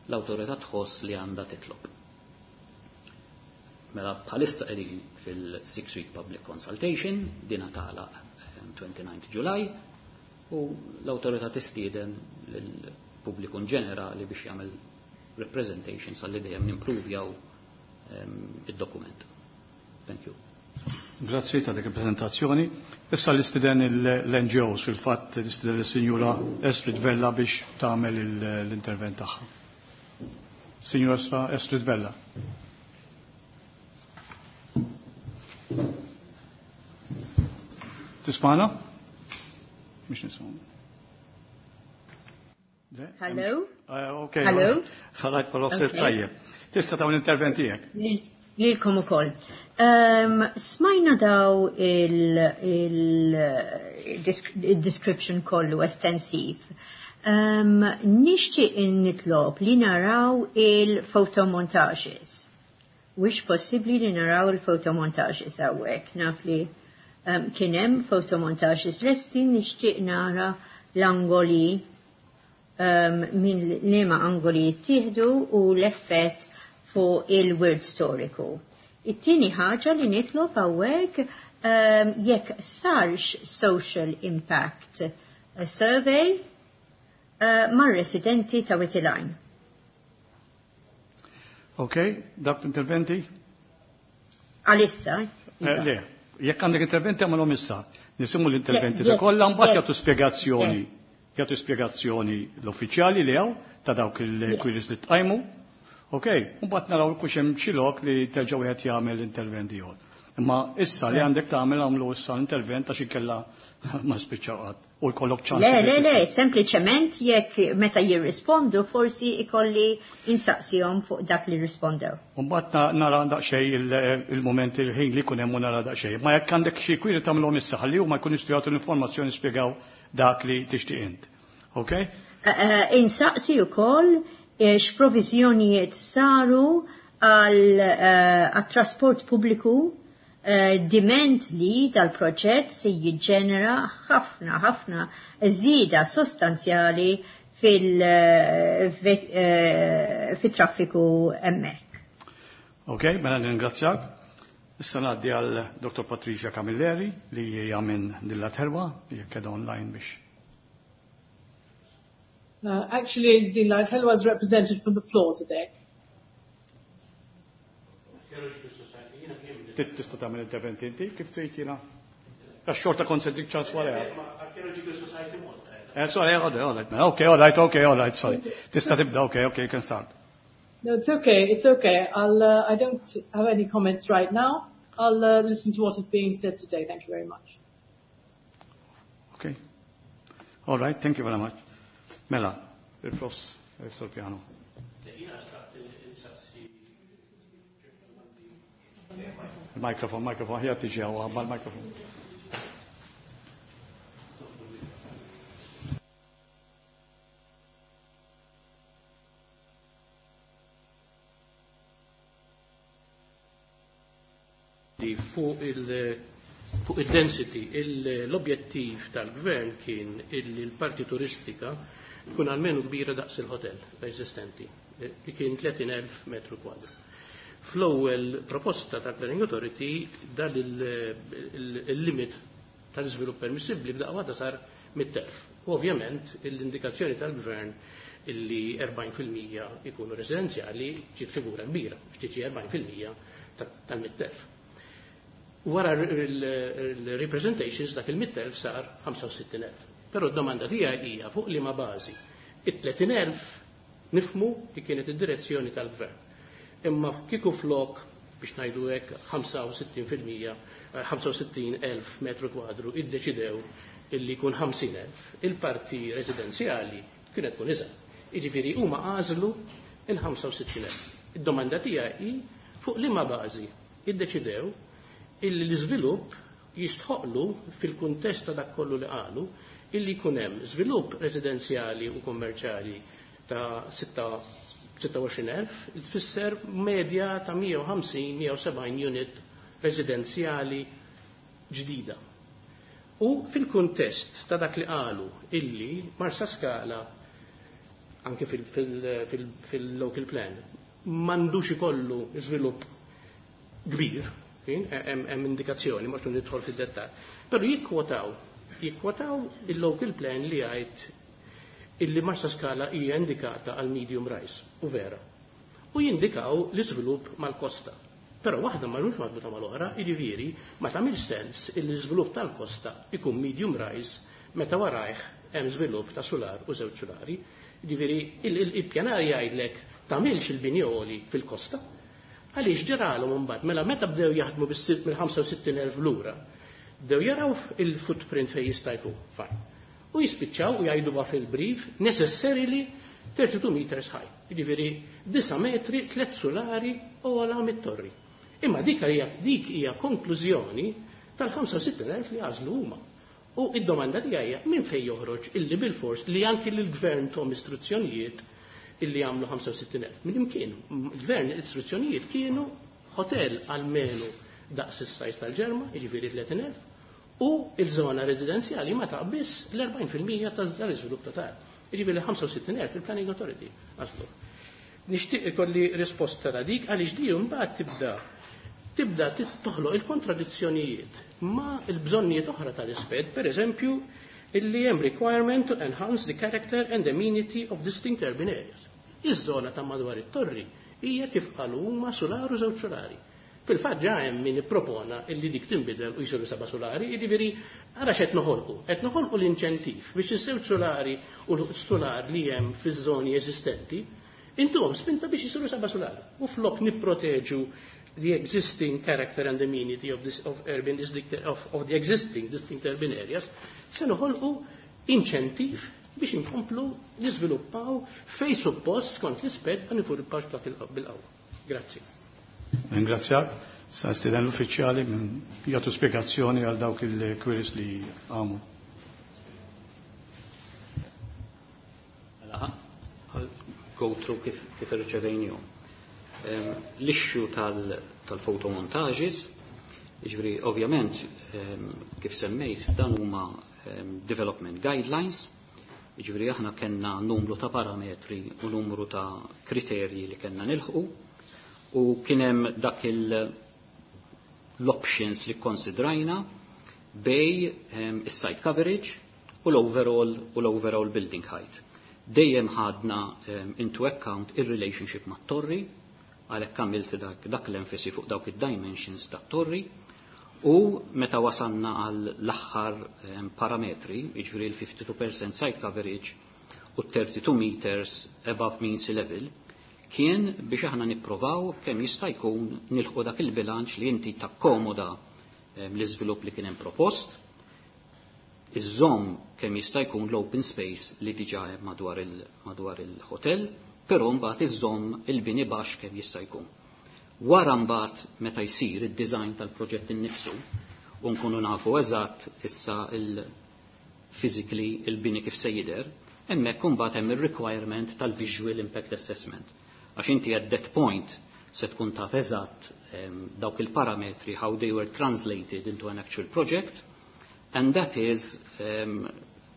l-awtorità tħoss li għandha titlob. Mela bħalissa qegħdin fil-Six Week Public Consultation, dina tagħlaq 29 July, u l-awtorità tistieden lill-pubbliku in ġenerali biex jagħmel representations għalli dejjem nimprovjaw id-dokument. Thank you. Grazzi ta' dik il-prezentazzjoni. Issa l-istiden l-NGOs, fil-fatt l-istiden l-Sinjura Estrid Vella biex tagħmel l-intervent tagħha. Sinjura Estrid Vella. Tismana? Mhix nisma'. Hello? Okay. Hello? Ħalajt pal tajjeb. Tista' tagħmel intervent tiegħek. Lilkom ukoll. Smajna daw il-description kollu estensiv. Nixtieq nitlob li naraw il-photomontages. Wix possibbli li naraw il-photomontages hawnhekk. Naf li kien hemm photomontages lesti, nixtieq nara l-angoli, minn liema angoli jittieħdu u l-effett fuq il-wirt storiku. It-tieni ħaġa li nitlob hawnhekk, jekk sarx social impact survey mar-residenti ta' Wied il-Għajn. Ok, dak interventi? Għalissa. Le, jekk għandek interventi għamilhom issa. Nisimgħu l-interventi ta' kollha, mbagħad jagħtu spjegazzjoni. Jagħtu spjegazzjoni l-uffiċjali li hawn ta' dawk il-queries li tqajmu. Ok, mbagħad naraw kux hemm xi lok li terġa' wieħed jagħmel intervent ieħor. Imma issa li għandek tagħmel għamlu issa l-intervent għax inkella ma spiċċaw qatt u jkollok ċans. Le, le, le, sempliċement jekk meta jirrispondu forsi ikolli insaqsihom fuq dak li rispondew. Mbagħad nara daqsxejn il-mument il-ħin li jkun hemm u nara daqsxejn. Ma jekk għandek xi kwiri tagħmilhom issa ħalli huma jkunu jistgħu jagħtu l-informazzjoni spjegaw dak li tixtieq int. Ok? Insaqsi wkoll x'proviżjonijiet saru għal trasport pubbliku, diment li dal-proġett se jiġġenera ħafna ħafna żieda sostanzjali fil-traffiku hemmhekk. Ok, mela ningrazzjak. Issa ngħaddi għal Dr. Patricia Camilleri li hija minn Din l-Art Ħelwa, jekk qiegħda online biex. Actually, Din l-Art Ħelwa is represented from the floor today. Tista' tagħmel intervent inti kif tgħid jiena? Għax xorta konsentik ċans wara. Sorry, all right, okay, all right, okay, all right, sorry. Tista' tibda, okay, you can start. No, it's okay, it's okay. I don't have any comments right now. I'll listen to what is being said today. Thank you very much. Okay. All right, thank you very much. Mela, il-profs, il piano. Il-mikrofon, mikrofon, ħja tiġi għaw, għabba l-mikrofon. Fuq il-density, l-objettiv tal-gvern kien illi l-parti turistika tkun almenu kbira daqs il-hotel eżistenti, li kien 30.000 metru kwadru. Fl-ewwel proposta tal-Planning Authority dan il-limit tal-iżvilupp permissibbli b'daqqa waħda sar 100,000. U ovvjament l-indikazzjoni tal-gvern illi 40% ikunu residenzjali ġiet figura kbira, ftit 40% tal-100,000. Wara il-representations dak il-100,000 sar 65,000. Però d-domanda tiegħi hija fuq liema bażi. It-30,000 nifmu li kienet id-direzzjoni tal-gvern. Imma kieku flok biex ngħidu hekk 65%, 65,000 metru kwadru iddeċidew illi jkun 50,000, il-parti residenzjali kienet tkun iżgħar. Jiġifieri huma għażlu il-65,000. Id-domanda tiegħi hi fuq liema bażi. Iddeċidew illi l-iżvilupp jistħoqlu fil-kuntest ta' dak kollu li qalu illi jkun hemm żvilupp residenzjali u kummerċjali ta' 26,000, li tfisser medja ta' 150-170 unit residenzjali ġdida. U fil-kuntest ta' dak li qalu illi Marsaskala anke fil-local plan m'għandux ikollu żvilupp kbir, hemm indikazzjoni, ma nidħol fid-dettall. Però jikkwotaw il-local plan li jgħid illi Marsaskala hija indikata għal medium rise, u vera. U jindikaw l-iżvilupp mal-kosta. Però waħda ma mhux marbuta mal-oħra, jiġifieri ma tagħmilx sens illi l-iżvilupp tal-kosta ikun medium rise meta warajh hemm żvilupp ta' sular u żewġ sulari. Jiġifieri il-pjanar jgħidlek tagħmilx il-bini għoli fil-kosta. Għaliex ġralhom imbagħad mela meta bdew jaħdmu mill-65,000 lura, bdew jaraw il-footprint fejn jista' jkun, fine. U jispiċċaw u jgħidu fil-brief necessarily 32 meters high. Jiġifieri 9 metri, 3 sulari u għala mit-torri. Imma dik hija konklużjoni tal-65,000 li għażlu huma. U id-domanda tiegħi hija minn fejn joħroġ illi bil-fors li anki l-gvern tom istruzzjonijiet illi għamlu 65,000. Minn imkien, il-gvern l-istruzzjonijiet kienu hotel almenu daqs is-size tal-Ġerma, jiġifieri 30,000, u il-żona residenzjali ma taqbiss l-40% tal-iżvilupp totali. Jiġifieri 65,000 il-Planning Authority għażlu. Nixtieq ikolli risposta ta' dik għaliex di mbagħad tibda toħloq il-kontradizzjonijiet ma' il-bżonnijiet oħra tal-isped, per eżempju, illi hemm requirement to enhance the character and amenity of distinct urban areas. Iż-żona ta' madwar it-torri hija kif qalu huma sular u żewġ sulari. Fil-fatt ġa hemm min ippropona illi dik tinbidel u jsiru seba' sulari, jiġifieri ara x'qed noħolqu. Qed noħolqu l-inċentiv biex iż-żewġ sulari u l-sular li hemm fiż-żoni eżistenti intuhom spinta biex jisiru seba' sulari. U flok nipproteġu the existing character and amenity of this of urban district of the existing distinct urban areas, se noħolqu inċentiv biex inkomplu niżviluppaw fej suppost skont l-isped ma nifurpax dak bil-qawwa. Grazzi. Ringrazzjak. Sa nistieden l-uffiċjali minn jagħtu spjegazzjoni għal dawk il-queries li għamu. Mela, go through kif irċevejnihom. L-issue tal-photomontages, jiġifieri ovvjament kif semmejt dan huma development guidelines, jiġifieri aħna kellna numru ta' parametri u numru ta' kriterji li kellna nilħqu u kien hemm dak l-options li konsidrajna bej is-site coverage u l-overall building height. Dejjem ħadna into account il-relationship mat-torri, għalhekk għamilt dak l-enfasi fuq dawk id-dimensions tat-torri, u meta wasalna għal l-aħħar parametri, jiġifieri l-52% site coverage u 32 meters above mean sea level, kien biex aħna nipprovaw kemm jista' jkun nilħu dak il-bilanċ li inti takkomoda l-iżvilupp li kien hemm propost, iżżomm kemm jista' jkun l-open space li diġà hemm madwar il-hotel, però mbagħad iżżomm il-bini baxx kemm jista' jkun. Wara mbagħad meta jsir id-design tal-proġett innifsu u nkunu nafu eżatt issa il-physically il-bini kif se jidher, hemmhekk imbagħad hemm ir-requirement tal-visual impact assessment. Għax inti at that point se tkun taf eżatt dawk il-parametri how they were translated into an actual project, and that is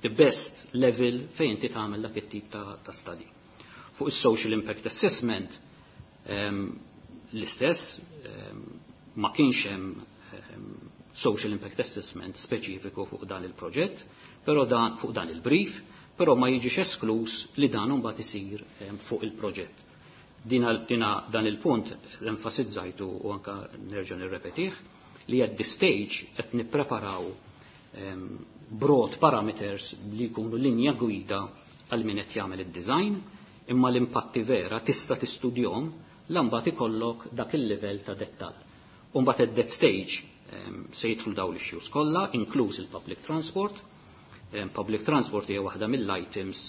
the best level fejn inti tagħmel dak it-tip ta' study. Fuq is-social impact assessment l-istess ma kienx hemm social impact assessment speċifiku fuq dan il-proġett, però dan fuq dan il-brief, però ma jiġix esklus li dan imbagħad isir fuq il-proġett. Dina, dan il-punt enfasizzajtu u anka nerġa' nirrepetih li at this stage qed nippreparaw broad parameters li jkunu linja gwida għal min qed jagħmel id-design, imma l-impatti vera tista' tistudjom la mbagħad ikollok dak il-livell ta' dettall. U mbagħad at that stage se jidħlu dawn l-issues kollha, inkluż il-public transport. Public transport hija waħda mill-items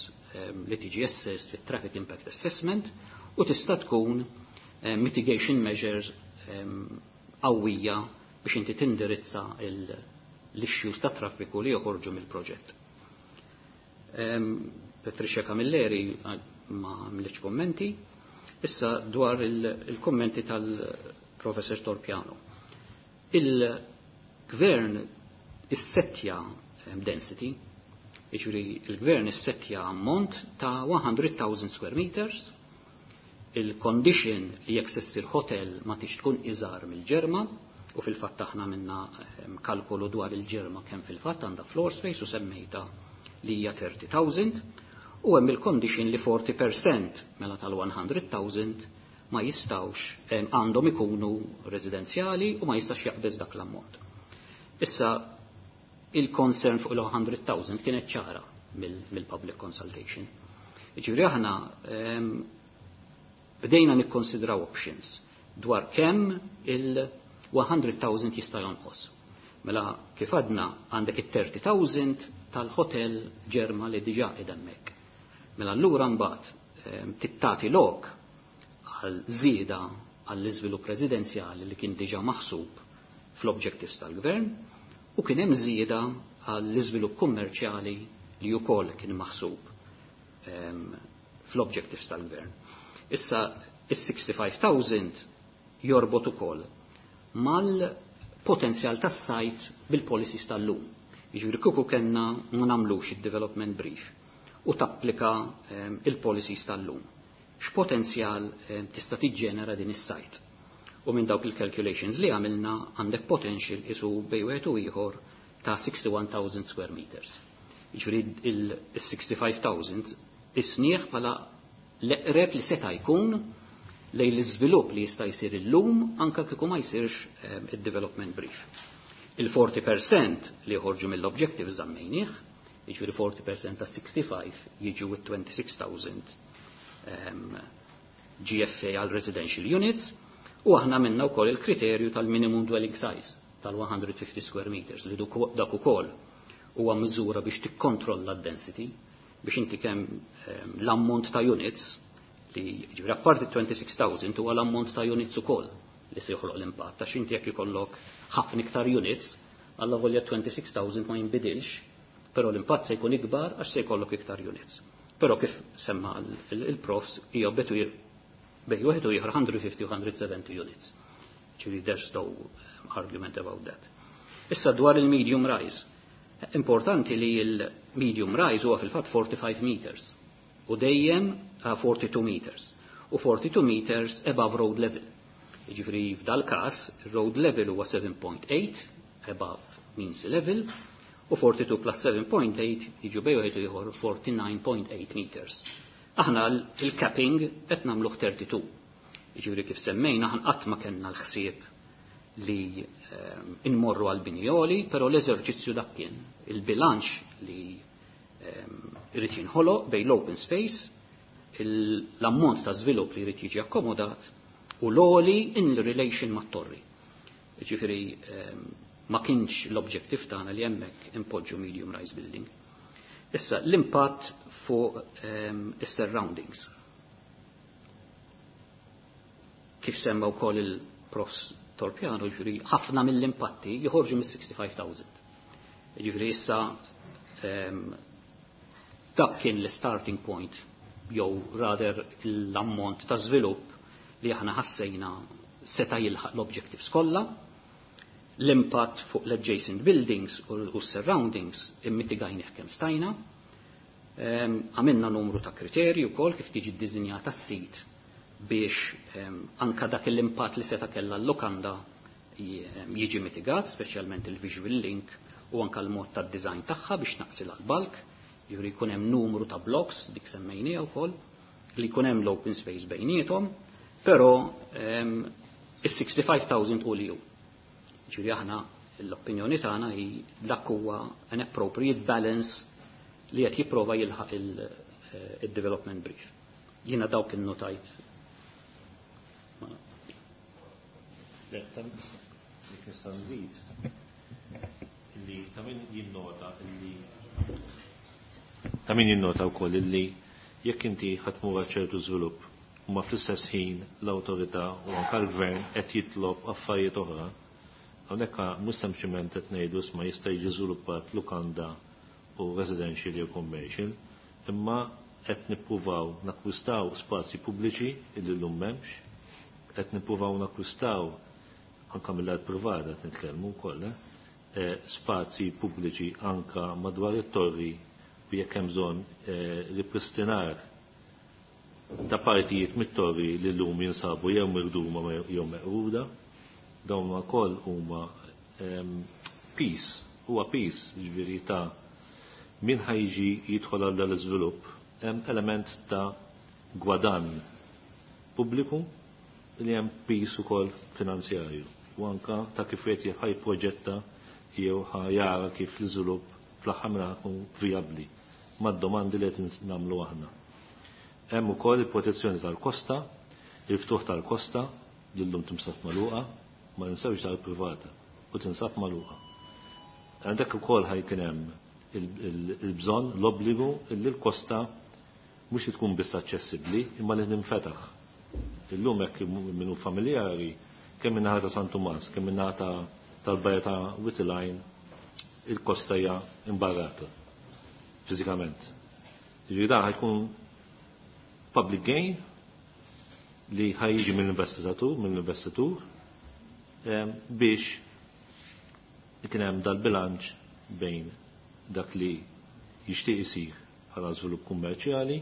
li tiġi assessed fit-traffic impact assessment u tista' tkun mitigation measures. qawwija biex inti tindirizza l-issues ta' traffiku li joħorġu mill-proġett. Patricia Camilleri ma għamlitx kommenti. Issa dwar il-kommenti tal-Professor Torpiano. Il-gvern issettja density, jiġifieri il-gvern issettja ammont ta' 100,000 square meters, il-condition li jekk se ssir hotel ma tix tkun iżgħar mill-Ġerma, u fil-fatt aħna minna kalkolu dwar il-Ġerma kemm fil-fatt għandha floor space u semmejta li hija 30,000, u hemm il-condition li 40% mela tal-100,000 ma jistawx għandhom ikunu residenzjali u ma jistax jaqbeż dak l-ammont. Issa il-concern fuq il-100,000 kienet ċara mill-public consultation. Jiġifieri aħna bdejna nikkonsidraw options dwar kemm il-100,000 jista' jonqos. Mela kif għadna għandek it-30,000 tal-hotel Ġerma li diġà qiegħed hemmhekk. Mela allura mbagħad tittati lok għal żieda għall-iżvilupp residenzjali li kien diġà maħsub fl-objectives tal-gvern u kien hemm żieda għall-iżvilupp kummerċjali li wkoll kien maħsub fl-objectives tal-gvern. Issa is-65,000 jorbot ukoll mal-potenzjal tas-site bil-policies tal-lum. Jiġifieri kieku kellna ma nagħmlux id-development brief u tapplika il-policies tal-lum. X'potenzjal tista' tiġġenera din is-site? U minn dawk il-calculations li għamilna għandek potential isu bej wieħed u ieħor ta' 61,000 square meters. Jiġifieri il-65,000 isnieħ bħala l-eqreb li seta' jkun lejn l-iżvilupp li jista' jsir illum anka kieku ma jsirx id-development brief. Il-40% li joħorġu mill-objective żammejnieh, jiġifieri 40% ta' 65 jiġu 26,000 GFA għal residential units, u aħna minna wkoll il-kriterju tal-minimum dwelling size tal-150 square meters li dak ukoll huwa miżura biex tikkontrolla d-density biex inti kemm l-ammont ta' units li ġifieri apparti 26,000 huwa l-ammont ta' units ukoll li se joħloq l-impatt għax inti jekk ikollok ħafna iktar units alla volja 26,000 ma jinbidilx, però l-impatt se jkun ikbar għax se jkollok iktar units. Però kif semma il-profs hija bej wieħed u ieħor 150 u 170 units. Ġifieri there's no argument about that. Issa dwar il-medium rise. Importanti li il-medium rise huwa fil-fatt 45 meters u dejjem 42 meters u 42 meters above road level. Jiġifieri f'dal każ road level huwa 7.8 above mean sea level u 42 plus 7.8 jiġu bej wieħed ieħor 49.8 meters. Aħna il-capping qed nagħmluh 32. Jiġifieri kif semmejna aħna qatt ma kellna l-ħsieb li inmorru għal bini għoli, però l-eżerċizzju dak kien il-bilanċ li irid jinħoloq bejn l-open space, l-ammont ta' żvilupp li jrid jiġi akkomodat u l-għoli in relation mat-torri. Ġifieri ma kienx l-objective tagħna li hemmhekk impoġġu medium rise building. Issa l-impatt fuq is-surroundings. Kif semma wkoll il-profs Torpiano, ġifieri ħafna mill-impatti joħorġu mis-65,000. Ġifieri issa dak kien l-starting point jew rather l-ammont ta' żvilupp li aħna ħassejna seta' jilħaq l-objectives kollha, l-impatt fuq l-adjacent buildings u surroundings immitigajnih kemm stajna. Għamilna numru ta' kriterji wkoll kif tiġi ddisinjata s-sit biex anka dak l-impatt li seta' kellha l-lokanda jiġi mitigat, speċjalment il-visual link u anka l-mod tad-design tagħha biex naqsil l-bulk, jiġifieri jkun hemm numru ta' blocks dik semmejniha wkoll, li jkun hemm l-open space bejniethom, però is-65,000 u li hu. Ġifieri aħna l-opinjoni tagħna hi dak huwa an appropriate balance li qed jipprova jilħaq il-development brief. Jiena dawk innotajt. Jekk nista' nżid illi ta' min jinnota wkoll illi jekk inti ħa tmur ċertu żvilupp. ma fl-istess ħin l-awtorità u anke l-gvern qed jitlob affarijiet oħra. Hawnhekk mhux sempliċement qed ngħidu isma' jista' jiġi żviluppat lukanda u residential jew commercial, imma qed nippruvaw nakkwistaw spazji pubbliċi illi llum m'hemmx, qed nippruvaw nakkwistaw anke mill-art privata qed nitkellmu wkoll, spazji pubbliċi anka madwar it-torri u jekk hemm bżonn ripristinar ta' partijiet mit-torri li llum jinsabu jew mirduma jew meqruda. Dawn ukoll huma peace, huwa peace ġifieri ta' min ħajġi jidħol għal dal-iżvilupp hemm element ta' gwadann pubbliku li hemm peace ukoll finanzjarju u anka ta' kif qed ħajproġetta jew ħajara kif l-iżvilupp fl-aħħar mill-aħħar vijabbli mad-domandi li qed nagħmlu aħna. Hemm ukoll il-protezzjoni tal-kosta, il-ftuħ tal-kosta li llum tinsab magħluqa, ma ninsewx tal-privata u tinsab magħluqa. Għandek ukoll ħajkien hemm il-bżonn, l-obbligu li l-kosta mhux li tkun biss aċċessibbli imma li ninfetaħ. Illum hekk minnu familjari kemm min-naħa ta' San Tumas, kemm min-naħa tal-bajja ta' Witilajn, il-kosta hija imbarrata fiżikament. Jiġifieri dan ħajkun public gain li ħajjiġi mill-investitur biex ikun hemm dal-bilanċ bejn dak li jixtieq isir bħala żvilupp kummerċjali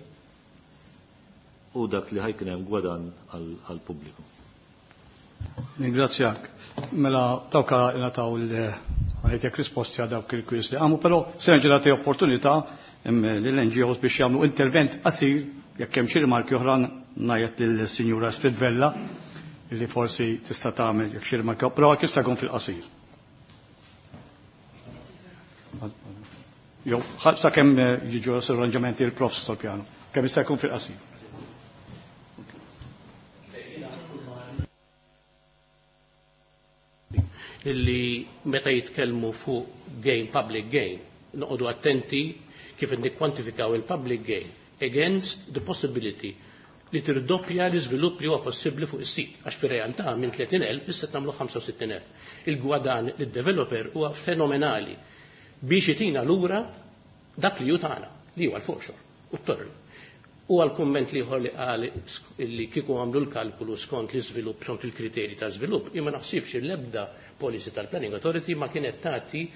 u dak li ħajkun hemm gwadann għall-pubbliku. Ningrazzjak. Mela dawk nataw il-għajtek risposti għal dawk il-kwiz li għamu, però se nerġa' nagħti opportunità lill-NGOs biex jagħmlu intervent qasir jekk hemm xi rimarki oħra ngħid lill-Sinjura Astrid Vella li forsi tista' tagħmel jekk xi rimarki, però jista' jkun fil-qasir. Jew sakemm jiġu arranġamenti l-profs tal-pjano, kemm jista' jkun fil-qasir. Illi meta jitkellmu fuq gain, public gain, noqogħdu attenti kif nikkwantifikaw il-public gain against the possibility li tirdoppja l-iżvilupp li huwa possibbli fuq is-sit, għax fir-realtà minn 30,000 issa tagħmlu 65,000. Il-gwadan lid-developer huwa fenomenali biex itina lura dak li hu tagħna, li huwa l-forxor u t-torri. U għal-kumment liħor li qal li kieku għamlu l-kalkulu skont l-iżvilupp, skont il-kriterji ta' żvilupp, imma naħsibx l-ebda policy tal-Planning Authority ma kienet tagħti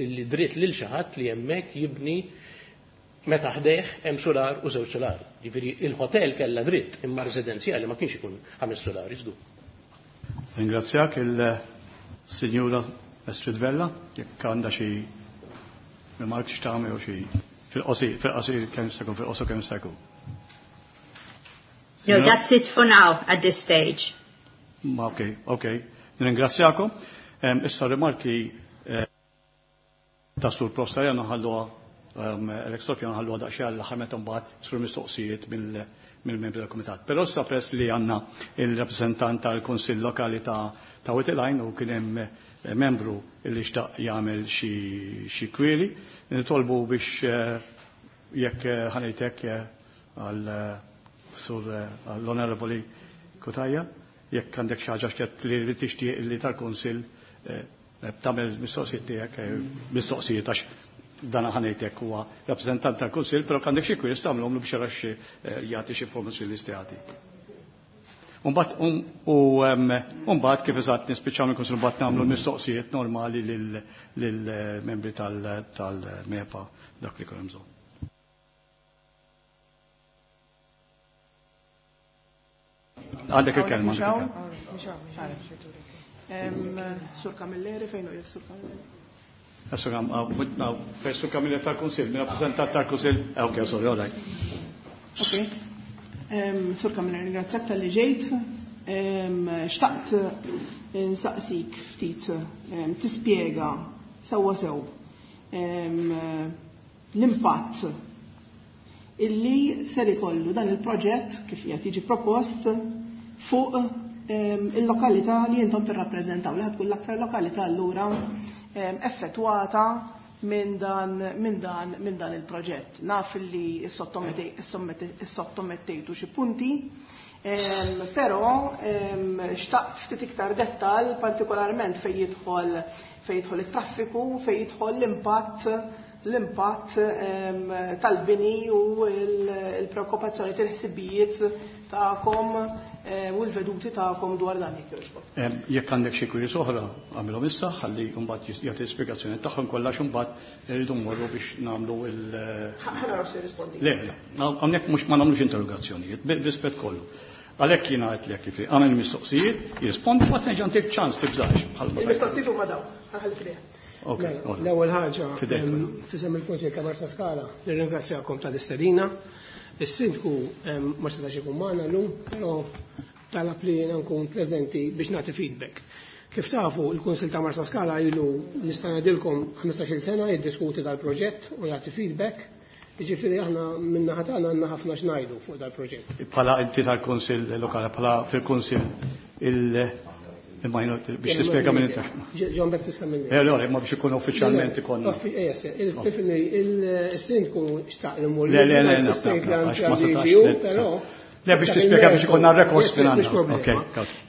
li dritt lil xi ħadd li hemmhekk jibni meta ħdejh hemm solar u żewġ solar. Jiġifieri il-hotel kellha dritt imma residenzjali ma kienx ikun ħames solar iżdu. Ringrazzjak il-Sinjura Astrid Vella, jekk għandha xi rimark x'tagħmel jew xi fil-qosir, fil-qosir kemm jista' jkun, fil-qosor kemm jista' jkun. No, that's it for now at this stage. Ma ok, ok. Nirringrazzjakom. Issa rimarki ta' sur Prof. Sarjano ħalluha Alex Sofia nħalluha daqsxejn għall-aħħar meta mbagħad sur mistoqsijiet mill-membri tal-Kumitat. Però issa press li għandna il-rappreżentant tal-Kunsill Lokali ta' Witilajn u kien hemm membru li xtaq jagħmel xi kwiri, nitolbu biex jekk ħanejtek għal sur l-Onorevoli Cutajar, jekk għandek xi ħaġa x'qed li tixtieq li tal-Kunsill tagħmel mistoqsijiet tiegħek, mistoqsijiet għax dan ħanejtek huwa rappreżentant tal-Kunsill, però għandek xi kwis tagħmlhom biex jara xi jagħti xi informazzjoni li jista' Mbagħad kif eżatt nispiċċaw mill-Kunsill mbagħad nagħmlu mistoqsijiet normali lill-membri tal-MEPA dak li jkun bżonn. Għandek il-kelma. Sur Camilleri, fejn hu Sur Camilleri? Sur Camilleri tal-Kunsill, min rappreżentant tal-Kunsill. Ok, sorry, all right. Ok. Sur Camilleri, ringrazzjak tal-li ġejt. Xtaqt nsaqsik ftit tispjega sewwa sew l-impatt illi ser ikollu dan il-proġett kif qiegħed jiġi propost fuq il-lokalità li intom tirrappreżentaw, li tkun l-aktar lokalità allura effettwata minn dan, minn dan, minn dan il-proġett. Naf li sottomettejtu xi punti, però xtaqt ftit iktar dettal, partikolarment fejn jidħol it-traffiku, fejn jidħol l-impatt tal-bini u l-preokkupazzjoni, il-ħsibijiet tagħkom u l-veduti tagħkom dwar dan, jekk jogħġbok. Jekk għandek xi queries oħra, għamilhom issa ħalli mbagħad jagħti spjegazzjoni tagħhom kollha, mbagħad irridu mmorru biex nagħmlu il- Ħa naraw se rispondi. Le, le, hawnhekk mhux ma nagħmlux interrogazzjonijiet, b'rispett kollu. Għalhekk jiena għedtlek kif għamel mistoqsijiet, jirrispondi, mbagħad nerġa' ntik ċans, tibżax. Il-mistoqsijiet huma dawn, ħalli fidejha. Mela, l-ewwel ħaġa, f'isem il-Kunsill ta' Marsa Skala, nirringrazzjakom tal-istedina. Is-sindku ma setax ikun magħna llum, però talab li jiena nkun preżenti biex nagħti feedback. Kif tafu, il-Kunsill ta' Marsa Skala ilu, nista' ngħidilkom, 15-il sena jiddiskuti dal-proġett u jagħti feedback. Jiġifieri aħna min-naħa tagħna għandna ħafna x'ngħidu fuq dal-proġett. Bħala inti tal-Kunsill Lokali, bħala fil-Kunsill il biex tispjega minn inta. John Baptist Camilleri. Eh, le, ma biex ikun uffiċjalment ikun. Il-sindku xtaq li mmur. Le, le, le, ma setax. Però Le, biex tispjega biex ikollna records minn.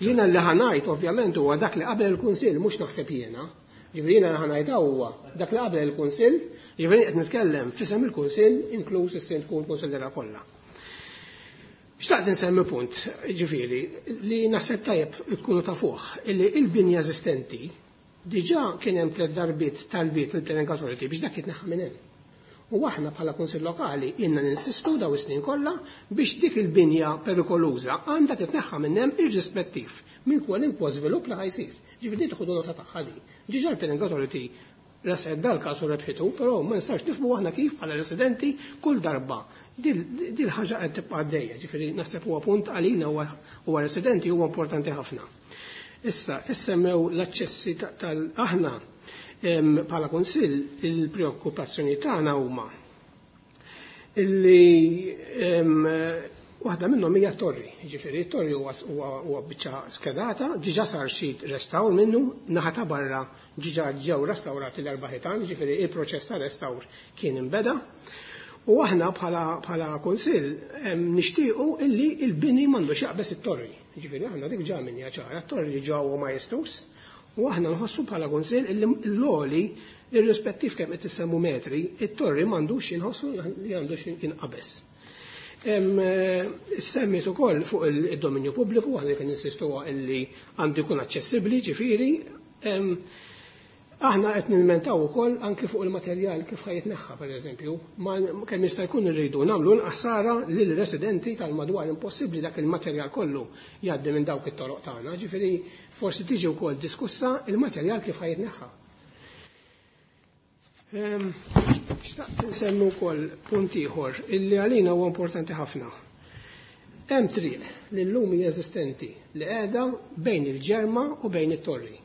Jiena li ħa ngħid ovvjament huwa dak li qabel il-Kunsill, mhux naħseb jiena. Ġifieri jiena li ħa ngħid huwa dak li qabel il-Kunsill, ġifieri qed nitkellem f'isem il-Kunsill, inkluż is-sindku u l-kunsillera kollha. Xtaqt insemmi punt, ġifieri, li naħseb tajjeb tkunu tafuh, illi il-binja eżistenti diġà kien hemm tliet darbiet talbiet mill-Planning Authority biex dak jitneħħa minn hemm. U aħna bħala Kunsill Lokali ilna ninsistu daw is-snin kollha biex dik il-binja perikoluża għandha titneħħa minn hemm, irrispettiv minn kwalunkwe żvilupp li ħa jsir. Ġifieri tieħdu nota tagħha di. Diġà l-Planning Authority ressqet dal-każ u rebħitu, però ma nistax nifhmu aħna kif bħala residenti kull darba dil ħaġa qed tibqa' għaddejja. Ġifieri naħseb huwa punt għalina huwa residenti huwa importanti ħafna. Issa, issemmew l-aċċessi tal-aħna bħala kunsill, il-preokkupazzjoni tagħna huma illi waħda minnhom hija torri, ġifieri torri huwa biċċa skedata, diġà sar xi restawr minnu, naħa ta' barra diġà ġew restawrati l-erba' ħitan, ġifieri il-proċess ta' restawr kien imbeda. U aħna bħala kunsill nixtiequ illi il-bini m'għandux jaqbeż it-torri. Ġifieri aħna dik ġa minja ċara, t-torri ġa huwa majestuż, u aħna nħossu bħala kunsill illi l-għoli, irrispettiv kemm qed issemmu metri, it-torri m'għandux inħossu li għandux jinqabeż. Semmit ukoll fuq il-dominju pubbliku, aħna kien insistu illi għandu jkun aċċessibbli, ġifieri aħna qed nilmentaw ukoll anki fuq il-materjal kif ħa jitneħħa, pereżempju, ma kemm jista' jkun irridu nagħmlu nqassara lil residenti tal-madwar. Impossibbli dak il-materjal kollu jgħaddi minn dawk it-toroq tagħna, ġifieri forsi tiġi wkoll diskussa il-materjal kif ħa jitneħħa. Xtaqt nsemmu wkoll punt ieħor illi għalina huwa importanti ħafna. Hemm triq li llum hija eżistenti li qiegħda bejn il-Ġerma u bejn it-Torri.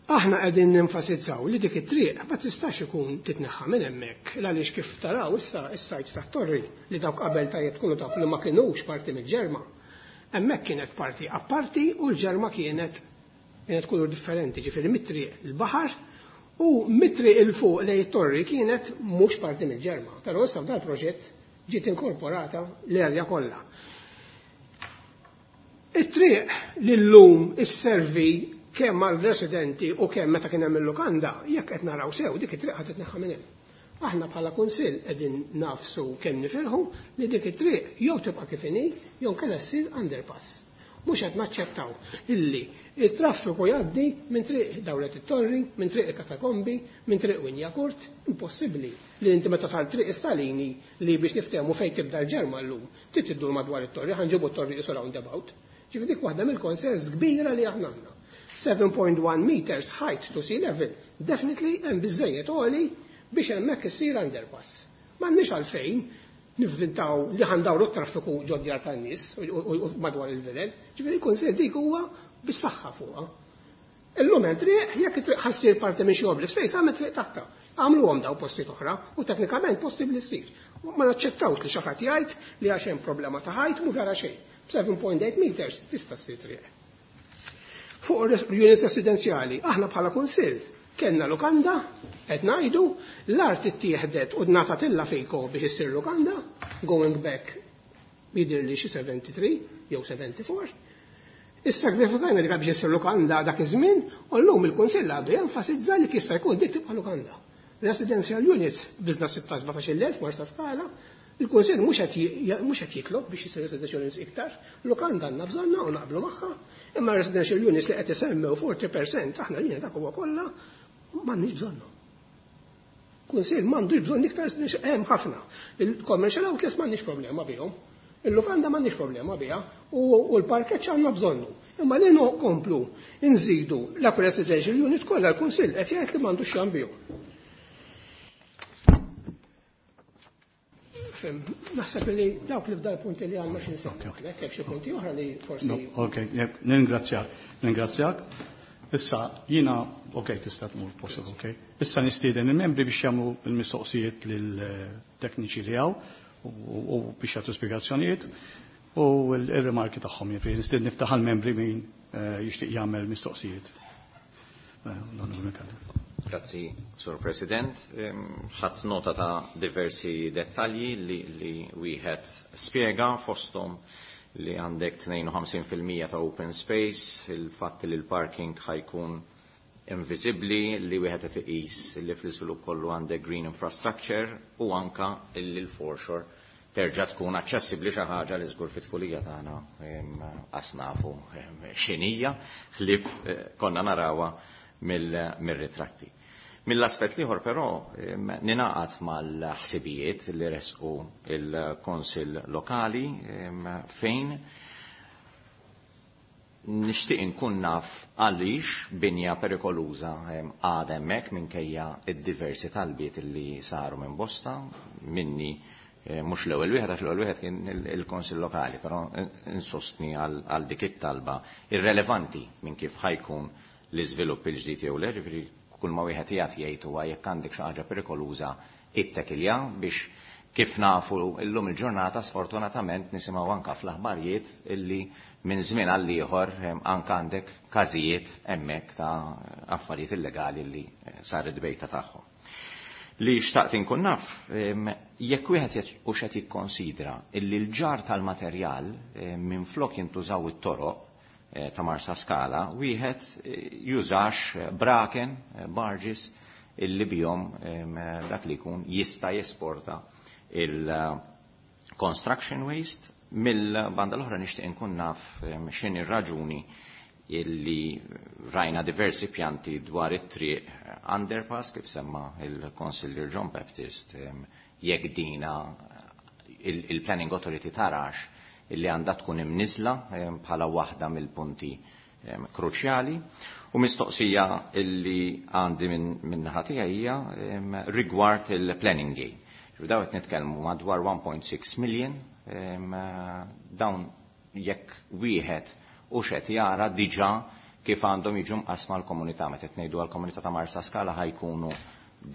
Aħna qegħdin nenfasizzaw li dik it-triq ma tistax ikun titneħħa minn hemmhekk, għaliex kif taraw issa is-sajt tat-torri, li dawk qabel tajjeb tkunu tafu li ma kinux parti mill-Ġerma. Hemmhekk kienet parti apparti u l-Ġerma kienet kulur differenti, ġifieri mit-triq il-baħar u mit-triq 'il fuq lejn it-torri kienet mhux parti mill-Ġerma. Però issa f'dal proġett ġiet inkorporata l-erja kollha. It-triq li llum isservi kemm għal residenti u kemm meta kien hemm il-lukanda, jekk qed naraw sew, dik it-triq ħadd titneħħa minn hemm. Aħna bħala kunsill qegħdin nafsu kemm nifirħu li dik it-triq jew tibqa' kif inhi jew kellha ssir underpass. Mhux qed naċċettaw illi il-traffiku jgħaddi minn triq Dawlet it-Torri, minn triq il-Katakombi, minn triq Wignacourt, impossibbli li inti meta sal triq is-Salini, li biex niftehmu fejn tibda l-Ġerma llum, trid iddur madwar it-torri, ħa nġibu t-torri qisu roundabout. Ġifieri dik waħda mill-concerns kbira li aħna għandna. 7.1 meters height to sea level, definitely hemm biżejjed għoli biex hemmhekk issir underpass. M'għandniex għalfejn nivvintaw li ħa ndawru t-traffiku ġod-djar tan-nies u madwar il-vilel. Ġifieri il-kunsill dik huwa bis-saħħa fuqha. Illum hemm triq, jekk it-triq ħa ssir parti minn xi oblique space, għamel triq taħtha. Għamluhom daw postijiet oħra u teknikament possibbli ssir. Ma naċċettawx li xi ħadd jgħid li għax hemm problema ta' height, mhu vera xejn. 7.8 meters tista' ssir triq. Fuq units residenzjali, aħna bħala kunsill Kellna lukanda, qed ngħidu, l-art ittieħdet u ngħatatilla Fico biex issir lukanda, going back jidher li xi 73 jew 74. Issagrifikajna dik biex issir lukanda dak iż-żmien u llum il-Kunsill għadu jenfasizza li jista' jkun dik tibqa' lukanda. Residential units biżna 16-17,000 Marsaskala, il-Kunsill mhux qed jitlob biex isir residential units iktar, lukanda għandna bżonna u naqblu magħha, imma residential units li qed isemmew 40% aħna lina dak huwa kollha m'għandniex bżonnu. Kunsill m'għandux bżonn iktar residential, hemm ħafna. Il-commercial outlets m'għandniex problema bihom. Il-lukanda m'għandniex problema biha u l-parkeġġ għandna bżonnu. Imma li nkomplu nżidu la residential unit kollha l-Kunsill qed jgħid li m'għandux x'jagħmel bihom. Fim, naħseb li dawk li f'dal punti li għandna xi nsemmu. Hekk xi punti oħra li forsi. Ok, ningrazzjak. Ningrazzjak. Issa jiena, ok, tista' tmur possible, ok. Issa nistieden il-membri biex jagħmlu l-mistoqsijiet lill-tekniċi li hawn u biex jagħtu spjegazzjonijiet u l-rimarki tagħhom, jiġifieri nistieden niftaħ għall-membri min jixtieq jagħmel mistoqsijiet. Grazzi, Sur President. Ħadd nota ta' diversi dettalji li wieħed spjega fosthom li għandek 52% ta' open space, il-fatt li l-parking ħajkun invisibli, li wieħed qed iqis li fl-iżvilupp kollu għandek green infrastructure u anka li l-foreshore terġa' tkun aċċessibbli, xi ħaġa li żgur fit-tfulija tagħna qas nafu x'inhija ħlief konna narawha mill-ritratti. Mill-aspett l-ieħor però ninaqat mal-ħsibijiet li resqu il-Konsil Lokali fejn nixtieq inkun naf għaliex binja perikoluża għadha hemmhekk minkejja id-diversi talbiet li saru minn bosta minni, mhux l-ewwel wieħed għax l-ewwel wieħed kien il-Konsil Lokali, però insostni għal dik it-talba irrelevanti minn kif ħajkun l-iżvilupp il-ġdid jew le, ġifieri kull ma wieħed jgħid jgħid huwa jekk għandek xi ħaġa perikoluża ittekilja biex kif nafu llum il-ġurnata sfortunatament nisimgħu anka fl-aħbarijiet illi minn żmien għal ieħor anka għandek każijiet hemmhekk ta' affarijiet illegali li saret bejta tagħhom. Li xtaqt inkun naf, jekk wieħed hux qed jikkonsidra illi l-ġar tal-materjal minn flok jintużaw it-toroq ta' Marsaskala, wieħed jużax braken, barges illi bihom dak li jkun jista' jesporta il-construction waste. Mill-banda l-oħra nixtieq inkun naf x'inhi ir-raġuni illi rajna diversi pjanti dwar it-triq underpass kif semma il-Konsillier John Baptist, jekk dina il-Planning Authority tarax illi għandha tkun imniżla bħala waħda mill-punti kruċjali. U mistoqsija illi għandi minn naħa tiegħi hija rigward il-planning gain. Daw qed nitkellmu madwar 1.6 million, dawn jekk wieħed u xed jara diġà kif għandhom jiġu mqasma l-komunità. Meta qed ngħidu għall-komunità ta' Marsaskala ħajkunu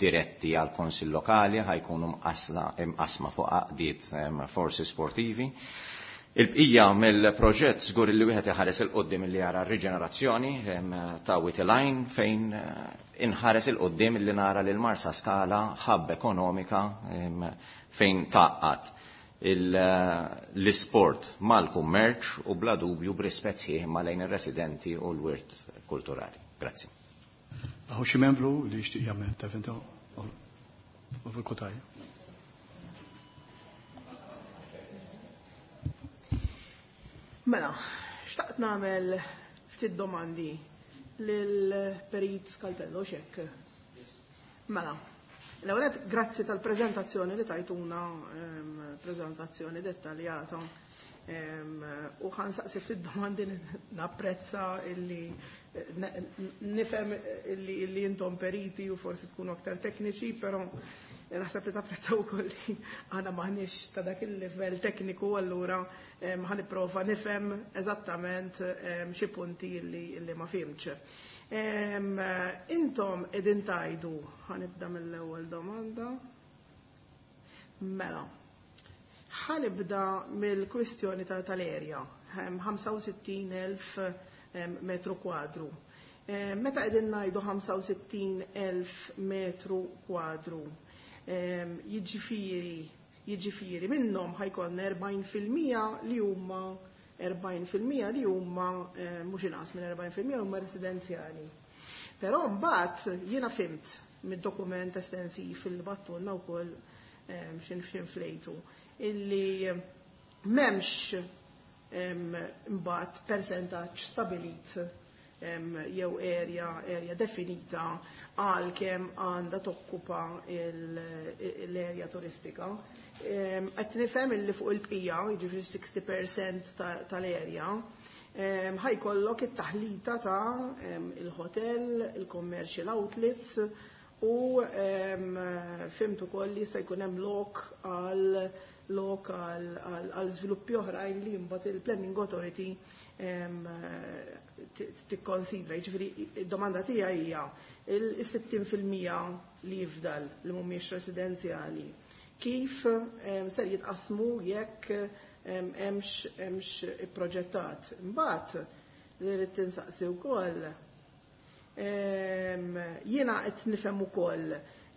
diretti għal konsil lokali, ħajkunu mqasma fuq għaqdiet forsi sportivi. Il-bqija mill-proġett żgur li wieħed iħares il-qoddim li jara r-riġenerazzjoni ta' Wied il-Għajn fejn inħares il-qoddim li nara lil Marsaskala hub ekonomika fejn taqqat l-isport mal-kummerċ u bla dubju b'rispett sħiħ ma' lejn ir-residenti u l-wirt kulturali. Grazzi. Hawn xi membru li jixtieq jagħmel intervent fil-Kutaj. Mela, xtaqt nagħmel ftit domandi lil Perit Scalpello xek. Mela, l-ewwel nett, grazzi tal-preżentazzjoni li tajtuna, preżentazzjoni dettaljata. U ħa nsaqsi ftit domandi, napprezza illi nifhem illi intom periti u forsi tkunu aktar tekniċi, però naħseb li tapprezzaw ukoll li aħna m'aħniex ta' dak il-livell tekniku, allura ħa nipprova nifhem eżattament xi punti illi ma fhimtx. Intom qegħdin tgħidu, ħa nibda mill-ewwel domanda. Mela, ħa nibda mill-kwistjoni tal-erja, 65,000 metru kwadru. Meta qegħdin ngħidu 65,000 metru kwadru, jiġifieri minnhom ħa jkollna 40% li huma 40% li huma, mhux inqas minn 40% huma residenzjali. Però mbagħad jiena fhimt mid-dokument estensiv li bgħattulna wkoll x'in flejtu illi m'hemmx mbagħad persentaġġ stabilit jew area definita għal kemm għandha tokkupa l-area turistika. Qed nifhem illi fuq il-bqija, jiġifieri 60% tal-area, ħa jkollok it-taħlita ta' il-hotel, il-commercial outlets u fhimt ukoll li jista' jkun hemm lok għal żviluppi oħrajn li mbagħad il-Planning Authority tikkonsidra. Jiġifieri id-domanda tiegħi hija il-60% li jifdal li mhumiex residenzjali. Kif ser jitqasmu jekk hemmx proġettat? Imbagħad li rrid tinsaqsi wkoll, jiena qed nifhem ukoll